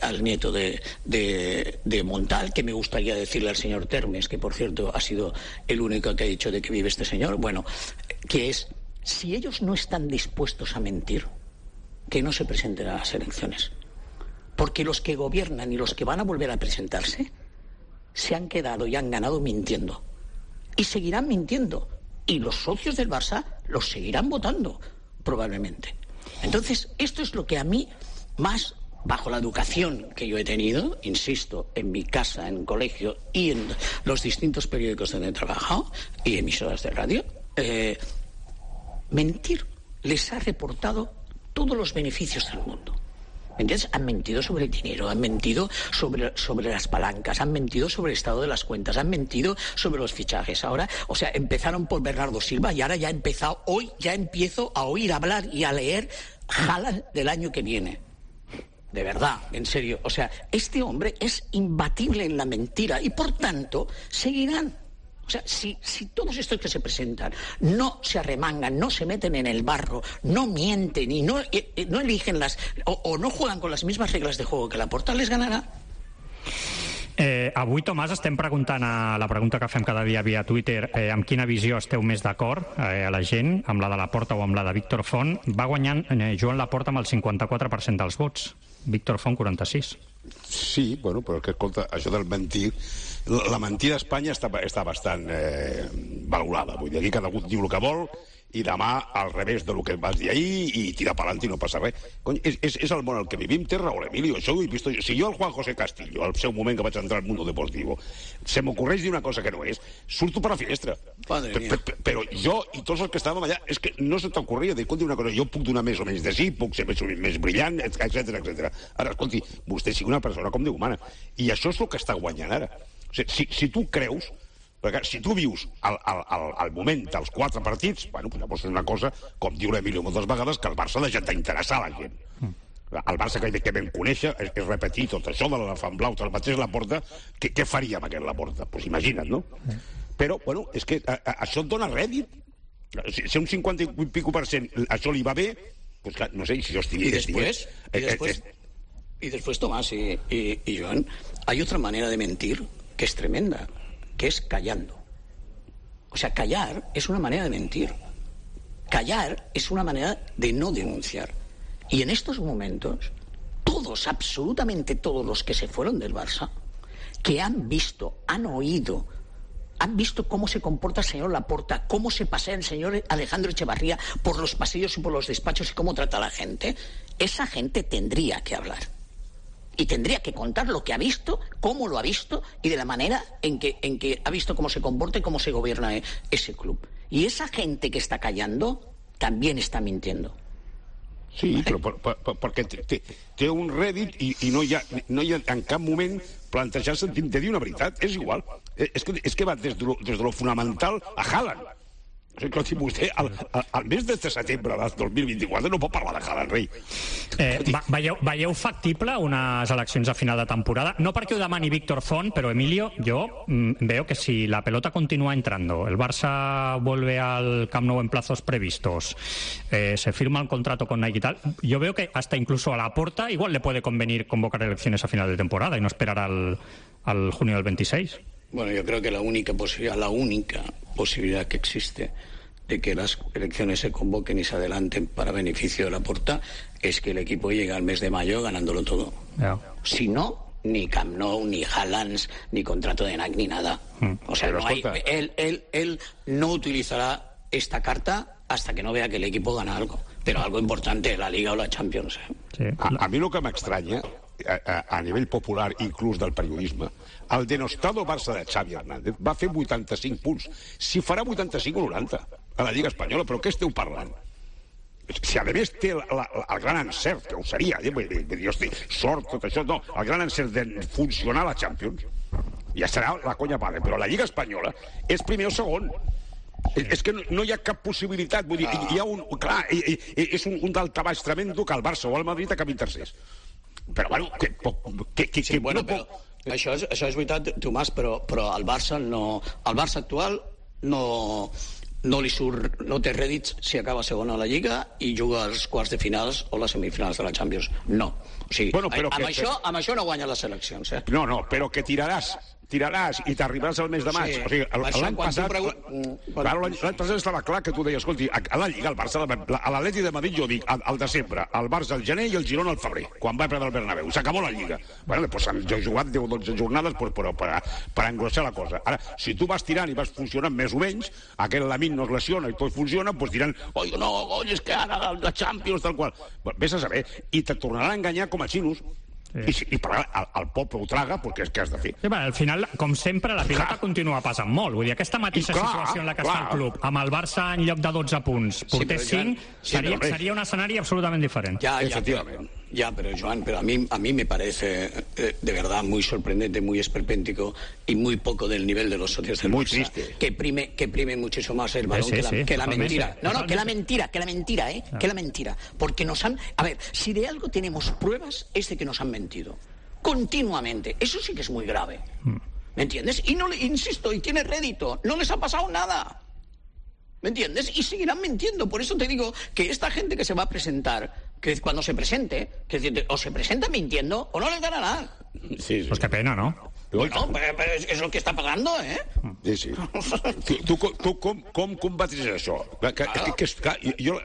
al nieto de Montal, que me gustaría decirle al señor Termes, que por cierto ha sido el único que ha dicho de que vive este señor, bueno, que es, si ellos no están dispuestos a mentir, que no se presenten a las elecciones. Porque los que gobiernan y los que van a volver a presentarse se han quedado y han ganado mintiendo. Y seguirán mintiendo. Y los socios del Barça los seguirán votando, probablemente. Entonces, esto es lo que a mí, más bajo la educación que yo he tenido, insisto, en mi casa, en colegio y en los distintos periódicos donde he trabajado y emisoras de radio, mentir les ha reportado todos los beneficios del mundo. ¿Me entiendes? Han mentido sobre el dinero, han mentido sobre las palancas, han mentido sobre el estado de las cuentas, han mentido sobre los fichajes. Ahora, o sea, empezaron por Bernardo Silva y ahora ya hoy ya empiezo a oír hablar y a leer Haaland del año que viene. De verdad, en serio. O sea, este hombre es imbatible en la mentira y por tanto seguirán. O sea, si todos estos que se presentan no se arremangan, no se meten en el barro, no mienten y no eligen o no juegan con las mismas reglas de juego que Laporta, les ganarà. Avui, Tomàs, estem preguntant la pregunta que fem cada dia via Twitter, amb quina visió esteu més d'acord a la gent, amb la de Laporta o amb la de Víctor Font. Va guanyant Joan Laporta amb el 54% dels vots, Víctor Font 46%. Sí, bueno, però que, escolta, això del mentir... La mentida a Espanya està bastant valorada. Vull dir, aquí cada un diu el que vol i demà al revés del que vas dir ahir i tira pa'lant i no passa res. Cony, és el món al que vivim, té raó l'Emilio. Això ho he vist jo. Si jo al Juan José Castillo, al seu moment que vaig entrar al Mundo Deportivo, se m'ocorreix dir una cosa que no és, surto per la finestra. Però jo i tots els que estàvem allà, és que no se t'ocorria dir, escolti, una cosa, jo puc donar més o menys de sí, puc ser més brillant, etc. Ara, escolti, vostè sigui una persona com Déu humana. I això és el que està guanyant ara. O sigui, si tu creus, perquè si tu vius al moment dels 4 partits, bueno, llavors és una cosa, com diu l'Emilio moltes vegades, que el Barça ha deixat d'interessar la gent. El Barça que vam conèixer és repetir tot això de l'elefant blau, el mateix Laporta, què faria amb aquest Laporta? Doncs imagina't, no? Però, bueno, és que això et dona rèdit. Si un 50 i pico % això li va bé, doncs clar, no sé, si jo estigués... Y después, Tomás y Joan, hay otra manera de mentir que es tremenda, que es callando. O sea, callar es una manera de mentir. Callar es una manera de no denunciar. Y en estos momentos, todos, absolutamente todos los que se fueron del Barça, que han visto, han oído, han visto cómo se comporta el señor Laporta, cómo se pasea el señor Alejandro Echevarría por los pasillos y por los despachos y cómo trata a la gente, esa gente tendría que hablar. Y tendría que contar lo que ha visto, cómo lo ha visto y de la manera en que ha visto cómo se comporta y cómo se gobierna ese club. Y esa gente que está callando también está mintiendo. Sí, però perquè té un rèdit i no hi ha en cap moment plantejar-se de dir una veritat. És igual. És que va des de lo fonamental a Haaland. Escolti, vostè, al mes de setembre del 2024 no pot parlar de Haaland, rei. Veieu factible unes eleccions a final de temporada? No perquè ho demani Víctor Font, pero Emilio, yo veo que si la pelota continúa entrando, el Barça vuelve al Camp Nou en plazos previstos, se firma el contrato con Nike y tal, yo veo que hasta incluso a Laporta igual le puede convenir convocar elecciones a final de temporada y no esperar al junio del 26. Bueno, yo creo que la única posibilidad que existe de que las elecciones se convoquen y se adelanten para beneficio de Laporta es que el equipo llegue al mes de mayo ganándolo todo. Si no, ni Camp Nou, ni Haaland, ni contrato de Nike, ni nada. O sea, no hay, él no utilizará esta carta hasta que no vea que el equipo gana algo. Pero algo importante, la Liga o la Champions. Sí. A mi el que m'estranya, a nivell popular, inclús del periodisme, el denostado Barça de Xavi Hernández va fer 85 punts. Si farà 85 o 90 a la Lliga Espanyola, però què esteu parlant? Si a més té el gran encert, que ho seria, jo estic sort, tot això, no, el gran encert de funcionar a la Champions, ja serà la conya padre, però a la Lliga Espanyola és primer o segon. És que no hi ha cap possibilitat, vull dir, hi ha un... Clar, és un daltabaix tremendo que el Barça o el Madrid acabin tercers. Però, bueno, això és veritat, Tomàs, però el Barça actual no no té rèdits si acaba segon a la Lliga i juga als quarts de finals o les semifinals de la Champions. No. O sigui, amb això no guanya les eleccions. No, però que tiraràs i t'arribaràs al mes de maig. Sí. O sigui, l'any passat... L'any passat estava clar que tu deies, escolti, a la Lliga, al Barça, a l'Atleti de Madrid, jo dic, al desembre, el Barça al gener i el Girona al febrer, quan va perdre el Bernabéu. S'acabó la Lliga. Bueno, doncs jo he jugat 10 o 12 jornades per engrossar la cosa. Ara, si tu vas tirant i vas funcionant més o menys, aquell Lamine no es lesiona i tot funciona, doncs diran, oi, no, és que ara la Champions, tal qual. Vés a saber. I te tornaran a enganyar com a xinos. I el poble ho traga perquè és que has de fer. Sí, al final, com sempre, la pilota continua passant molt. Vull dir, aquesta mateixa situació en la que està el club, amb el Barça en lloc de 12 punts, portés 5, seria un escenari absolutament diferent. Ya, pero Joan, a mí me parece de verdad muy sorprendente, muy esperpéntico y muy poco del nivel de los socios del Barça. Que prime muchísimo más el balón que la mentira. No, que la mentira, que la mentira. Porque nos han... A ver, si de algo tenemos pruebas es de que nos han mentido. Continuamente. Eso sí que es muy grave. ¿Me entiendes? Y no le insisto, y tiene rédito. No les ha pasado nada. ¿Me entiendes? Y seguirán mintiendo. Por eso te digo que esta gente que se va a presentar, que cuando se presente, que o se presenta mintiendo o no les ganará. Sí. Pues qué pena, ¿no? Bueno, pero és el que està pagando, eh? Sí. Tu com combatis això? Jo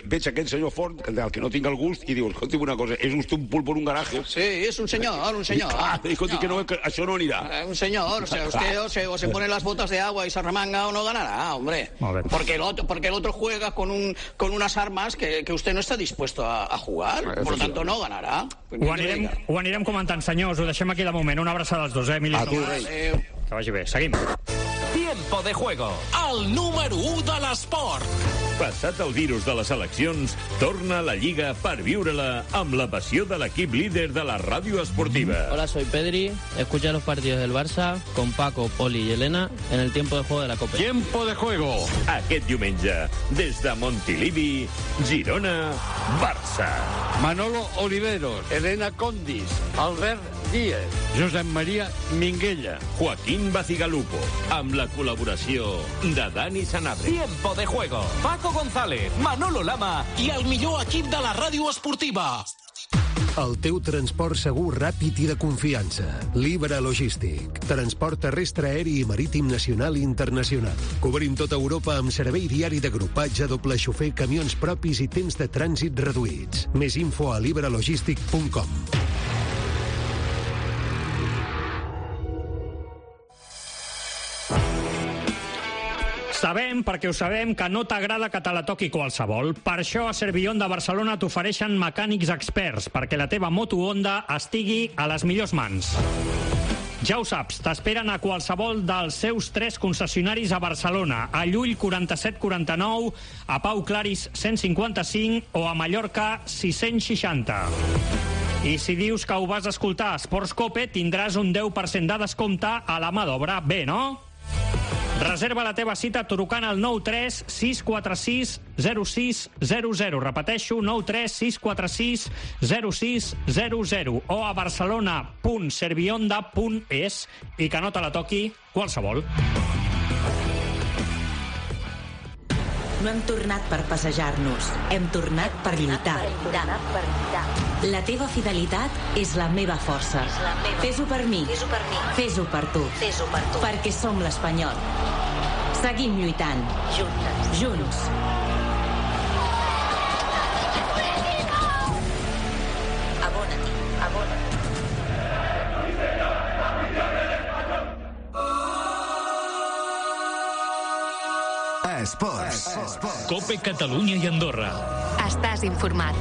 veig aquell senyor Font, del que no tinc el gust, i diu, escolti'm una cosa, és usted un pulpo en un garaje? Sí, es un señor. Escolti, que això no anirà. Un señor, o sea, usted o se pone las botas de agua y se arremanga o no ganará, hombre. Porque el otro juega con unas armas que usted no está dispuesto a jugar, por lo tanto no ganará. Ho anirem comentant, senyors, ho deixem aquí de moment. Una abraçada als dos, Emili. Que vagi bé. Seguim. Tiempo de juego. El número 1 de l'esport. Passat el virus de les eleccions, torna a la Lliga per viure-la amb la passió de l'equip líder de la ràdio esportiva. Hola, soy Pedri. Escucha los partidos del Barça con Paco, Poli y Elena en el tiempo de juego de la Copa. Tiempo de juego. Aquest diumenge, des de Montilivi, Girona, Barça. Manolo Oliveros, Elena Condis, Albert Díez, Josep Maria Minguella, Joaquín Bacigalupo, amb la col·laboració de Dani Sanabria. Tiempo de juego. Paco González, Manolo Lama i el millor equip de la ràdio esportiva. El teu transport segur, ràpid i de confiança. Libra Logístic. Transport terrestre, aeri i marítim nacional i internacional. Cobrim tota Europa amb servei diari d'agrupatge, doble xofer, camions propis i temps de trànsit reduïts. Més info a libralogistic.com. Sabem, perquè ho sabem, que no t'agrada que te la toqui qualsevol. Per això a Servillon de Barcelona t'ofereixen mecànics experts perquè la teva moto Honda estigui a les millors mans. Ja ho saps, t'esperen a qualsevol dels seus 3 concessionaris a Barcelona, a Llull 4749, a Pau Claris 155 o a Mallorca 660. I si dius que ho vas escoltar a Esports Cope, tindràs un 10% de descompte a la mà d'obra. Bé, no? Reserva la teva cita trucant al 93 646 0600. Repeteixo, 93 646 0600 o a barcelona.servionda.es i que no te la toqui qualsevol. No hem tornat per passejar-nos, hem tornat per lluitar. La teva fidelitat és la meva força. Fes-ho per mi, fes-ho per tu, perquè som l'Espanyol. Seguim lluitant. Junts. Esports. Cope Catalunya i Andorra. Estàs informat.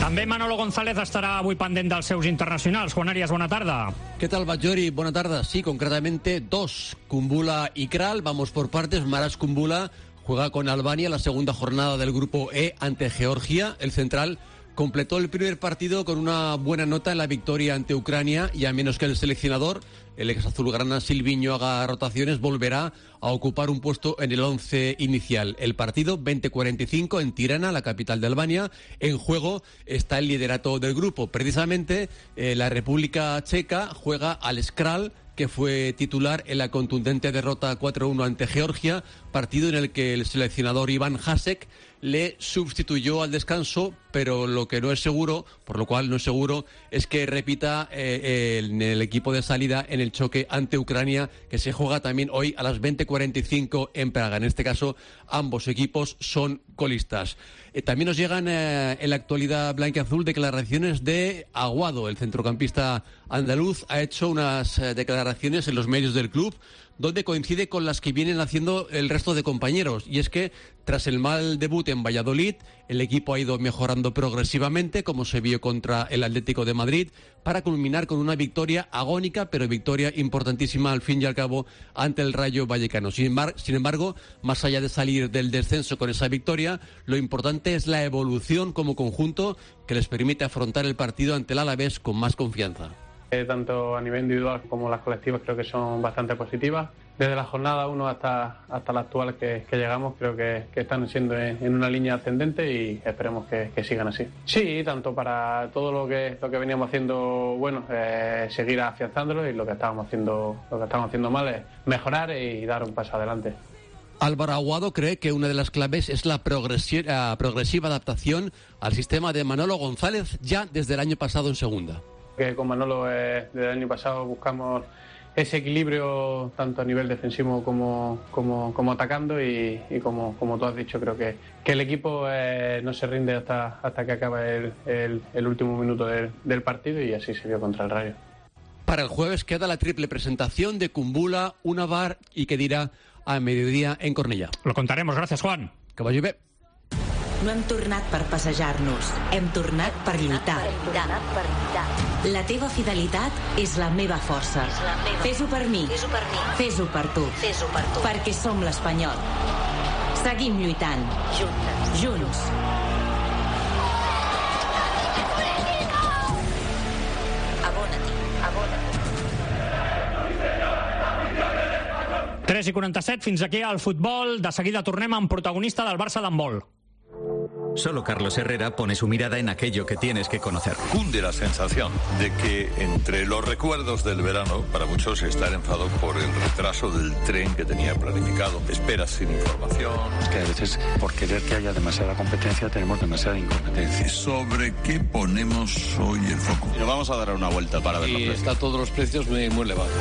També Manolo González estará avui pendent dels seus internacionals. Juan Arias, buena tarde. ¿Qué tal, Bajori? Buena tarde. Sí, concretamente 2. Kumbula y Kral. Vamos por partes. Maras Kumbula juega con Albania la segunda jornada del grupo E ante Georgia. El central completó el primer partido con una buena nota en la victoria ante Ucrania y a menos que el seleccionador, el ex azulgrana Silviño, haga rotaciones, volverá a ocupar un puesto en el 11 inicial. El partido 20:45 en Tirana, la capital de Albania. En juego está el liderato del grupo. Precisamente la República Checa juega al Skral, que fue titular en la contundente derrota 4-1 ante Georgia, partido en el que el seleccionador Iván Hasek le sustituyó al descanso, pero lo que no es seguro, por lo cual no es seguro, es que repita en el equipo de salida en el choque ante Ucrania, que se juega también hoy a las 20:45 en Praga. En este caso, ambos equipos son colistas. También nos llegan en la actualidad blanquiazul declaraciones de Aguado. El centrocampista andaluz ha hecho unas declaraciones en los medios del club donde coincide con las que vienen haciendo el resto de compañeros. Y es que tras el mal debut en Valladolid, el equipo ha ido mejorando progresivamente, como se vio contra el Atlético de Madrid, para culminar con una victoria agónica, pero victoria importantísima al fin y al cabo ante el Rayo Vallecano. Sin embargo, más allá de salir del descenso con esa victoria, lo importante es la evolución como conjunto que les permite afrontar el partido ante el Alavés con más confianza. Tanto a nivel individual como las colectivas creo que son bastante positivas. Desde la jornada 1 hasta la actual que llegamos, creo que están siendo en una línea ascendente y esperemos que sigan así. Sí, tanto para todo lo que veníamos haciendo, bueno, seguir afianzándolo, y lo que estábamos haciendo mal es mejorar y dar un paso adelante. Álvaro Aguado cree que una de las claves es la progresiva adaptación al sistema de Manolo González ya desde el año pasado en segunda. Que con Manolo desde el año pasado buscamos ese equilibrio tanto a nivel defensivo como atacando y como tú has dicho, creo que el equipo no se rinde hasta que acaba el último minuto del partido, y así se vio contra el Rayo. Para el jueves queda la triple presentación de Kumbula, Unavar y Kedira a mediodía en Cornellà. Lo contaremos, gracias Juan. Que vagi bé. No hem tornat per passejar-nos, hem tornat per lluitar. La teva fidelitat és la meva força. Fes-ho per mi, fes-ho per tu, perquè som l'Espanyol. Seguim lluitant. Junts. 3:47, fins aquí al futbol. De seguida tornem amb protagonista del Barça d'handbol. Solo Carlos Herrera pone su mirada en aquello que tienes que conocer. Cunde la sensación de que entre los recuerdos del verano, para muchos está el enfado por el retraso del tren que tenía planificado, esperas sin información. Es que a veces, por querer que haya demasiada competencia, tenemos demasiada incompetencia. ¿Sobre qué ponemos hoy el foco? Y nos vamos a dar una vuelta para ver los precios. Está todos los precios muy elevados.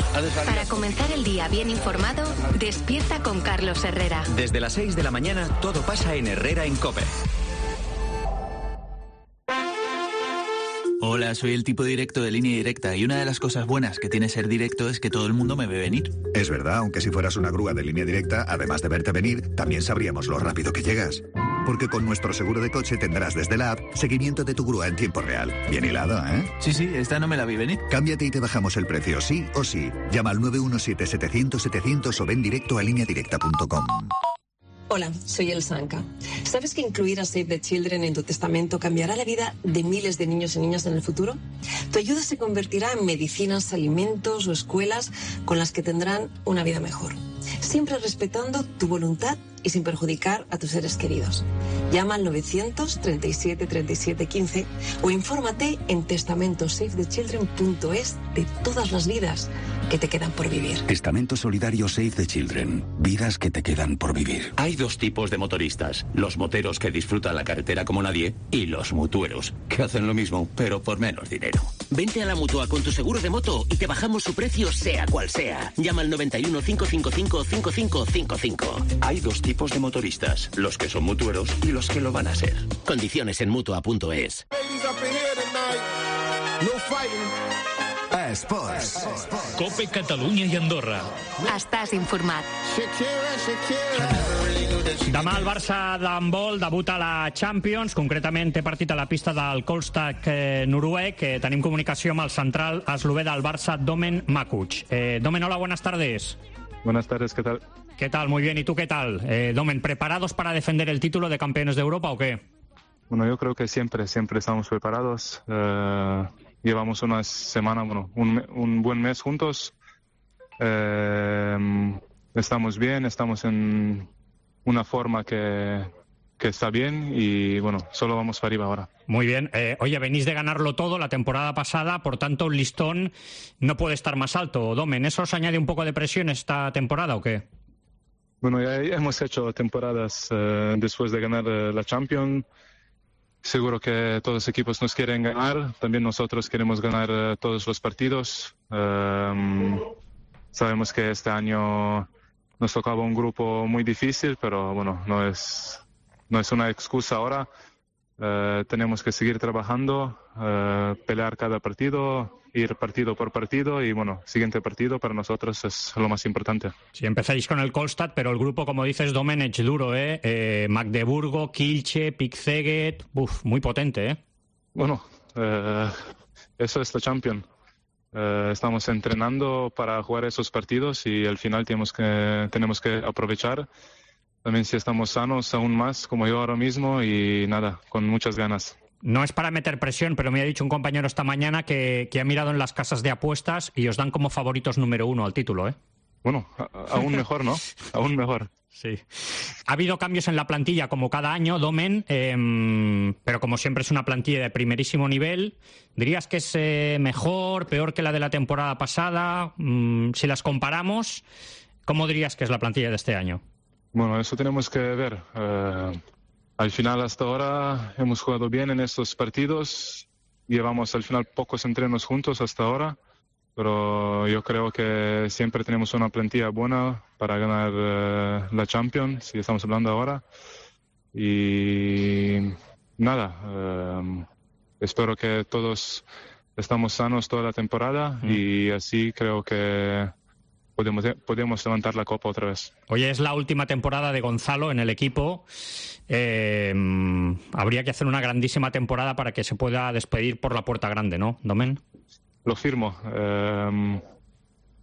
Para comenzar el día bien informado, despierta con Carlos Herrera. Desde las 6 de la mañana, todo pasa en Herrera en COPE. Hola, soy el tipo directo de Línea Directa y una de las cosas buenas que tiene ser directo es que todo el mundo me ve venir. Es verdad, aunque si fueras una grúa de Línea Directa, además de verte venir, también sabríamos lo rápido que llegas. Porque con nuestro seguro de coche tendrás desde la app seguimiento de tu grúa en tiempo real. Bien hilado, ¿eh? Sí, esta no me la vi venir. Cámbiate y te bajamos el precio, sí o sí. Llama al 917-700-700 o ven directo a lineadirecta.com. Hola, soy El Sanca. ¿Sabes que incluir a Save the Children en tu testamento cambiará la vida de miles de niños y niñas en el futuro? Tu ayuda se convertirá en medicinas, alimentos o escuelas con las que tendrán una vida mejor. Siempre respetando tu voluntad y sin perjudicar a tus seres queridos. Llama al 937 37 15 o infórmate en testamentosavethechildren.es de todas las vidas que te quedan por vivir. Testamento solidario Save the Children. Vidas que te quedan por vivir. Hay dos tipos de motoristas. Los moteros que disfrutan la carretera como nadie y los mutueros, que hacen lo mismo, pero por menos dinero. Vente a la Mutua con tu seguro de moto y te bajamos su precio sea cual sea. Llama al 91 555 5555. Hay dos tipos de motoristas, los que son mutueros y los que lo van a ser. Condiciones en Mutua.es. Esports. COPE Catalunya i Andorra. Estàs informat. Demà el Barça d'handbol debuta a la Champions, concretament té partit a la pista del Kolstad noruec. Tenim comunicació amb el central eslové del Barça, Domen Makuc. Domen, hola, buenas tardes. Buenas tardes, ¿qué tal? ¿Qué tal? Muy bien, ¿y tú qué tal? Domen, ¿preparados para defender el título de campeones de Europa o qué? Bueno, yo creo que siempre estamos preparados. Llevamos una semana, un buen mes juntos. Estamos bien, estamos en una forma que está bien y bueno, solo vamos para arriba ahora. Muy bien. Oye, venís de ganarlo todo la temporada pasada, por tanto el listón no puede estar más alto. Domen, ¿eso os añade un poco de presión esta temporada o qué? Bueno, ya hemos hecho temporadas después de ganar la Champions. Seguro que todos los equipos nos quieren ganar. También nosotros queremos ganar todos los partidos. Sabemos que este año nos tocaba un grupo muy difícil, pero bueno, no es una excusa ahora. Tenemos que seguir trabajando, pelear cada partido, ir partido por partido y bueno, siguiente partido para nosotros es lo más importante. Sí, empezáis con el Kolstad, pero el grupo, como dices, Domenech, duro, Magdeburgo, Kielce, Pick Szeged, muy potente, Bueno, eso es la Champions. Estamos entrenando para jugar esos partidos y al final tenemos que aprovechar. También si estamos sanos aún más, como yo ahora mismo, y nada, con muchas ganas. No es para meter presión, pero me ha dicho un compañero esta mañana que ha mirado en las casas de apuestas y os dan como favoritos número 1 al título, Bueno, aún mejor, ¿no? Aún mejor. Sí. Ha habido cambios en la plantilla como cada año, Domen, pero como siempre es una plantilla de primerísimo nivel. ¿Dirías que es mejor, peor que la de la temporada pasada? Si las comparamos, ¿cómo dirías que es la plantilla de este año? Bueno, eso tenemos que ver. Al final, hasta ahora, hemos jugado bien en estos partidos. Llevamos al final pocos entrenos juntos hasta ahora, pero yo creo que siempre tenemos una plantilla buena para ganar la Champions, si estamos hablando ahora. Y nada, espero que todos estamos sanos toda la temporada y así creo que podemos levantar la copa otra vez. Oye, es la última temporada de Gonzalo en el equipo. Habría que hacer una grandísima temporada para que se pueda despedir por la puerta grande, ¿no, Domen? Lo firmo.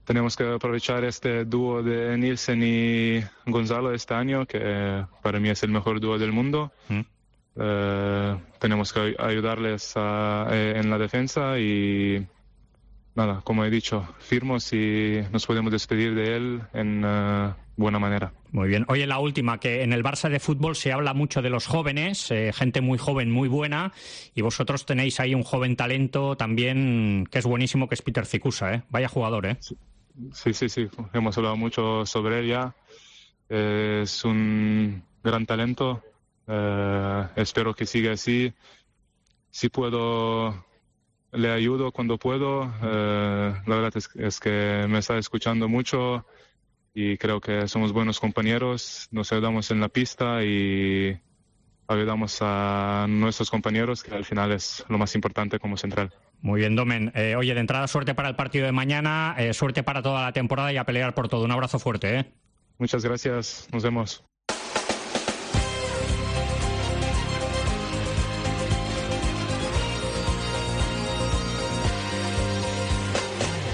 Tenemos que aprovechar este dúo de Nielsen y Gonzalo este año, que para mí es el mejor dúo del mundo. Tenemos que ayudarles en la defensa y nada, como he dicho, firmo si nos podemos despedir de él en buena manera. Muy bien. Oye, la última, que en el Barça de fútbol se habla mucho de los jóvenes, gente muy joven, muy buena, y vosotros tenéis ahí un joven talento también que es buenísimo, que es Peter Zikusa, Vaya jugador, Sí. Hemos hablado mucho sobre él ya. Es un gran talento. Espero que siga así. Si puedo, le ayudo cuando puedo. La verdad es que me está escuchando mucho y creo que somos buenos compañeros. Nos ayudamos en la pista y ayudamos a nuestros compañeros, que al final es lo más importante como central. Muy bien, Domen. Oye, de entrada, suerte para el partido de mañana, suerte para toda la temporada y a pelear por todo. Un abrazo fuerte, Muchas gracias. Nos vemos.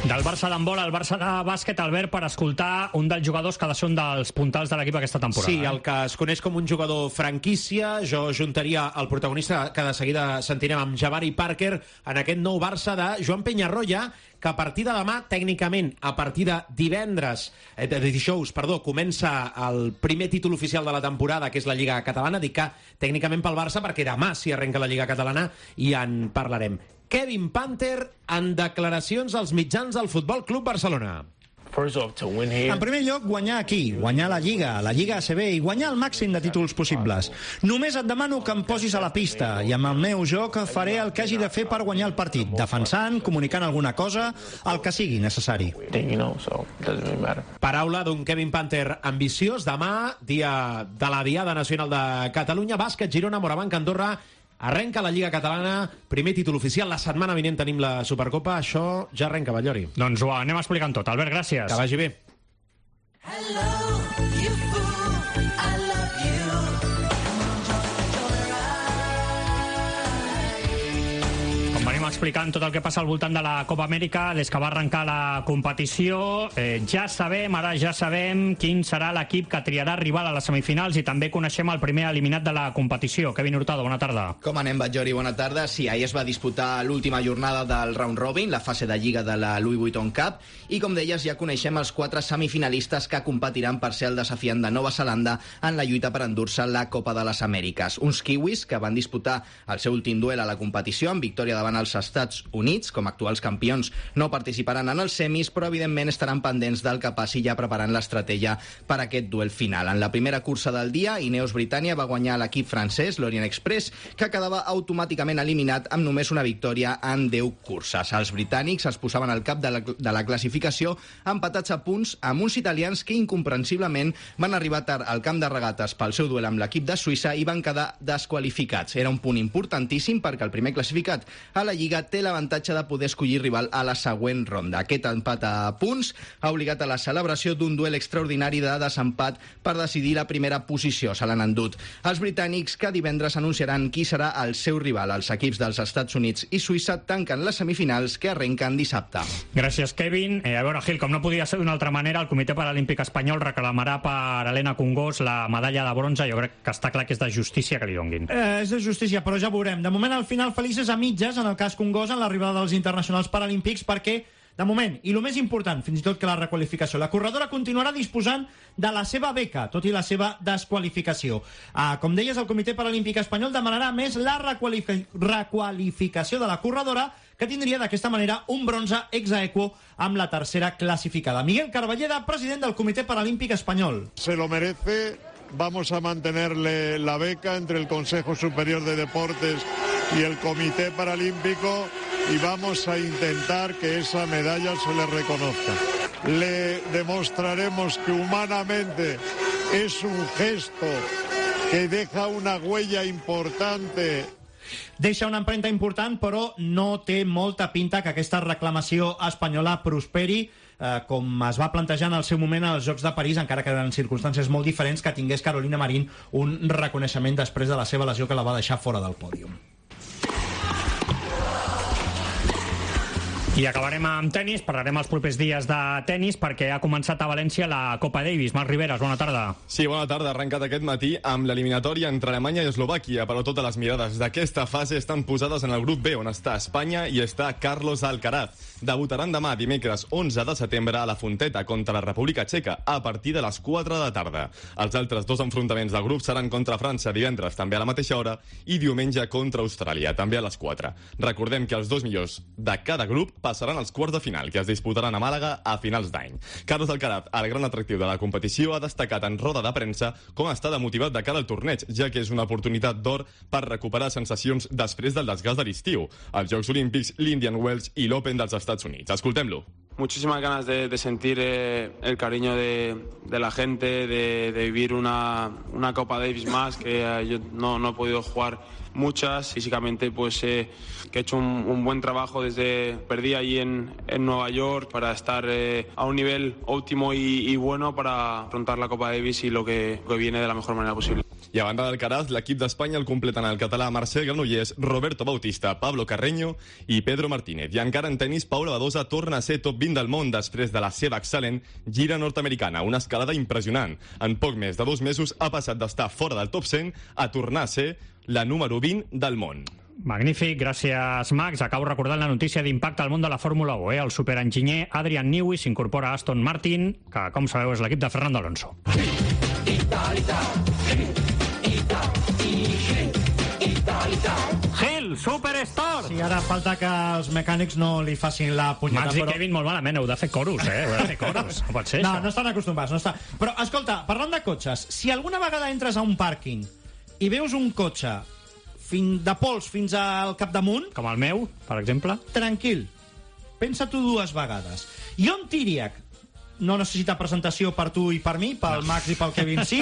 Del Barça d'handbol al Barça de bàsquet, Albert, per escoltar un dels jugadors que ha de ser un dels puntals de l'equip aquesta temporada. Sí, el que es coneix com un jugador franquícia. Jo juntaria el protagonista que de seguida sentirem amb Jabari Parker en aquest nou Barça de Joan Peñarroya, que a partir de demà, tècnicament, a partir de dijous, comença el primer títol oficial de la temporada, que és la Lliga Catalana. Dic que tècnicament pel Barça perquè demà s'hi arrenca la Lliga Catalana i en parlarem. Kevin Panther en declaracions als mitjans del Futbol Club Barcelona. En primer lloc, guanyar aquí, guanyar la Lliga ACB i guanyar el màxim de títols possibles. Només et demano que em posis a la pista i amb el meu joc faré el que hagi de fer per guanyar el partit, defensant, comunicant alguna cosa, el que sigui necessari. Paraula d'un Kevin Panther ambiciós. Demà, dia de la Diada Nacional de Catalunya, bàsquet, Girona, Morabanc, Andorra. Arrenca la Lliga Catalana, primer títol oficial. La setmana vinent tenim la Supercopa. Això ja arrenca, Batllori. Doncs ho anem explicant tot. Albert, gràcies. Que vagi bé. Com venim explicant tot el que passa al voltant de la Copa Amèrica des que va arrencar la competició. Ja sabem quin serà l'equip que triarà rival a les semifinals i també coneixem el primer eliminat de la competició. Kevin Hurtado, bona tarda. Com anem, Batllori? Bona tarda. Sí, ahir es va disputar l'última jornada del round robin, la fase de lliga de la Louis Vuitton Cup, i com deies, ja coneixem els 4 semifinalistes que competiran per ser el desafiant de Nova Zelanda en la lluita per endur-se la Copa de les Amèriques. Uns kiwis que van disputar el seu últim duel a la competició amb victòria davant els Estats Units. Com a actuals campions no participaran en els semis, però evidentment estaran pendents del que passi, ja preparant l'estratègia per aquest duel final. En la primera cursa del dia, Ineos Britannia va guanyar l'equip francès, l'Orient Express, que quedava automàticament eliminat amb només una victòria en 10 curses. Els britànics es posaven al cap de la classificació empatats a punts amb uns italians que incomprensiblement van arribar tard al camp de regates pel seu duel amb l'equip de Suïssa i van quedar desqualificats. Era un punt importantíssim perquè el primer classificat a la Lliga té l'avantatge de poder escollir rival a la següent ronda. Aquest empat a punts ha obligat a la celebració d'un duel extraordinari de desempat per decidir la primera posició. Se l'han endut els britànics, que divendres anunciaran qui serà el seu rival. Els equips dels Estats Units i Suïssa tanquen les semifinals que arrenquen dissabte. Gràcies, Kevin. A veure, Gil, com no podia ser d'una altra manera, el Comitè Paralímpic Espanyol reclamarà per Helena Congós la medalla de bronze. Jo crec que està clar que és de justícia que li donguin. És de justícia, però ja veurem. De moment, al final, felices a mitges, en el cas Congós, en l'arribada dels internacionals paralímpics, perquè, de moment, i el més important, fins i tot que la requalificació, la corredora continuarà disposant de la seva beca, tot i la seva desqualificació. Com deies, el Comitè Paralímpic Espanyol demanarà més la requalificació de la corredora, que tindria d'aquesta manera un bronze ex aequo amb la tercera classificada. Miguel Carballeda, president del Comitè Paralímpic Espanyol. Se lo merece. Vamos a mantenerle la beca entre el Consejo Superior de Deportes y el Comité Paralímpico y vamos a intentar que esa medalla se le reconozca. Le demostraremos que humanamente es un gesto que deja una huella importante. Deixa una empremta important, però no té molta pinta que aquesta reclamació espanyola prosperi, com es va plantejar en el seu moment als Jocs de París, encara que eren circumstàncies molt diferents, que tingués Carolina Marín un reconeixement després de la seva lesió que la va deixar fora del pòdium. I acabarem amb tenis, parlarem els propers dies de tenis perquè ha començat a València la Copa Davis. Marc Riveras, bona tarda. Sí, bona tarda. Ha arrencat aquest matí amb l'eliminatòria entre Alemanya i Eslovàquia, però totes les mirades d'aquesta fase estan posades en el grup B, on està Espanya i està Carlos Alcaraz. Debutaran demà, dimecres 11 de setembre, a la Fonteta contra la República Txeca, a partir de les 4 de la tarda. Els altres 2 enfrontaments del grup seran contra França divendres, també a la mateixa hora, i diumenge contra Austràlia, també a les 4. Recordem que els 2 millors de cada grup passaran als quarts de final, que es disputaran a Màlaga a finals d'any. Carlos Alcaraz, el gran atractiu de la competició, ha destacat en roda de premsa com està de motivat de cara al torneig, ja que és una oportunitat d'or per recuperar sensacions després del desgast de l'estiu, els Jocs Olímpics, l'Indian Wells i l'Open dels Estats Units. Escoltem-lo. Muchísimas ganas de sentir el cariño de la gente, de vivir una Copa Davis más, que yo no he podido jugar muchas. Físicamente pues que he hecho un buen trabajo perdí allí en Nueva York para estar a un nivel óptimo y bueno para afrontar la Copa Davis y lo que viene de la mejor manera posible. I a banda d'Alcaraz, l'equip d'Espanya el completen el català Marcel Granollers, Roberto Bautista, Pablo Carreño i Pedro Martínez. I encara en tenis, Paula Badosa torna a ser top 20 del món després de la seva excel·lent gira nord-americana, una escalada impressionant. En poc més de 2 mesos ha passat d'estar fora del top 100 a tornar a ser la número 20 del món. Magnífic, gràcies Max. Acabo recordant la notícia d'impacte al món de la Fórmula 1. El superenginyer Adrian Newey s'incorpora a Aston Martin, que com sabeu és l'equip de Fernando Alonso. Gil, Superstore! Sí, ara falta que els mecànics no li facin la punyeta. Max i Kevin molt malament, heu de fer coros, Heu de fer coros. No pot ser, no, això. no estan acostumats, no està. Però, escolta, parlant de cotxes, si alguna vegada entres a un pàrquing i veus un cotxe de pols fins al capdamunt... Com el meu, per exemple. Tranquil. Pensa-t'ho 2 vegades. Jon Tiriac, no necessita presentació per tu i per mi, pel Max i pel Kevin sí.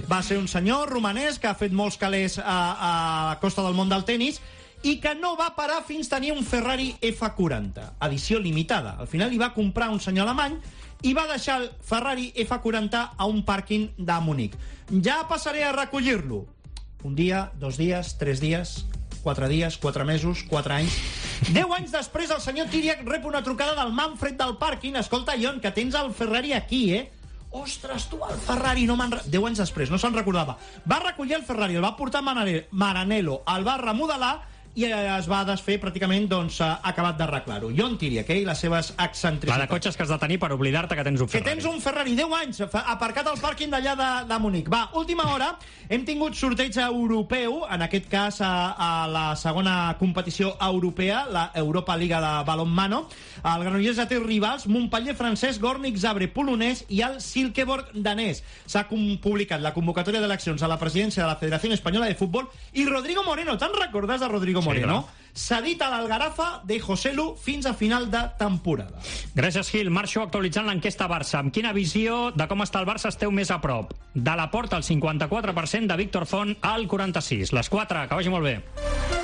Va ser un senyor romanès que ha fet molts calés a costa del món del tenis i que no va parar fins tenir un Ferrari F40, edició limitada. Al final li va comprar un senyor alemany i va deixar el Ferrari F40 a un pàrquing de Munic. Ja passaré a recollir-lo. Un dia, 2 dies, 3 dies, 4 dies, 4 mesos, 4 anys... 10 anys després, el senyor Tiriac rep una trucada del Manfred del pàrquing. Escolta, Ion, que tens el Ferrari aquí, Ostres, tu, el Ferrari, 10 anys després, no se'n recordava. Va recollir el Ferrari, el va portar a Maranello, el va remodelar i es va desfer pràcticament, doncs, acabat d'arreglar-ho. Jon Tiriac, i les seves excentricitats. La de cotxes que has de tenir per oblidar-te que tens un Ferrari. Que tens un Ferrari, 10 anys, aparcat al pàrquing d'allà de Munic. Va, última hora, hem tingut sorteig europeu, en aquest cas a la segona competició europea, la Europa Liga de Balonmano. El Granollers ja té rivals, Montpellier francès, Gornik Zabrze polonès i el Silkeborg danès. S'ha publicat la convocatòria d'eleccions a la presidència de la Federació Espanyola de Futbol i Rodrigo Moreno, te'n recordes de Rodrigo Moreno? Sí, cedit a l'Algarafa de José Lu fins a final de temporada. Gràcies, Gil. Marxo actualitzant l'enquesta Barça. Amb quina visió de com està el Barça esteu més a prop? De la Porta, el 54%, de Víctor Font, al 46%. Les 4, que vagi molt bé.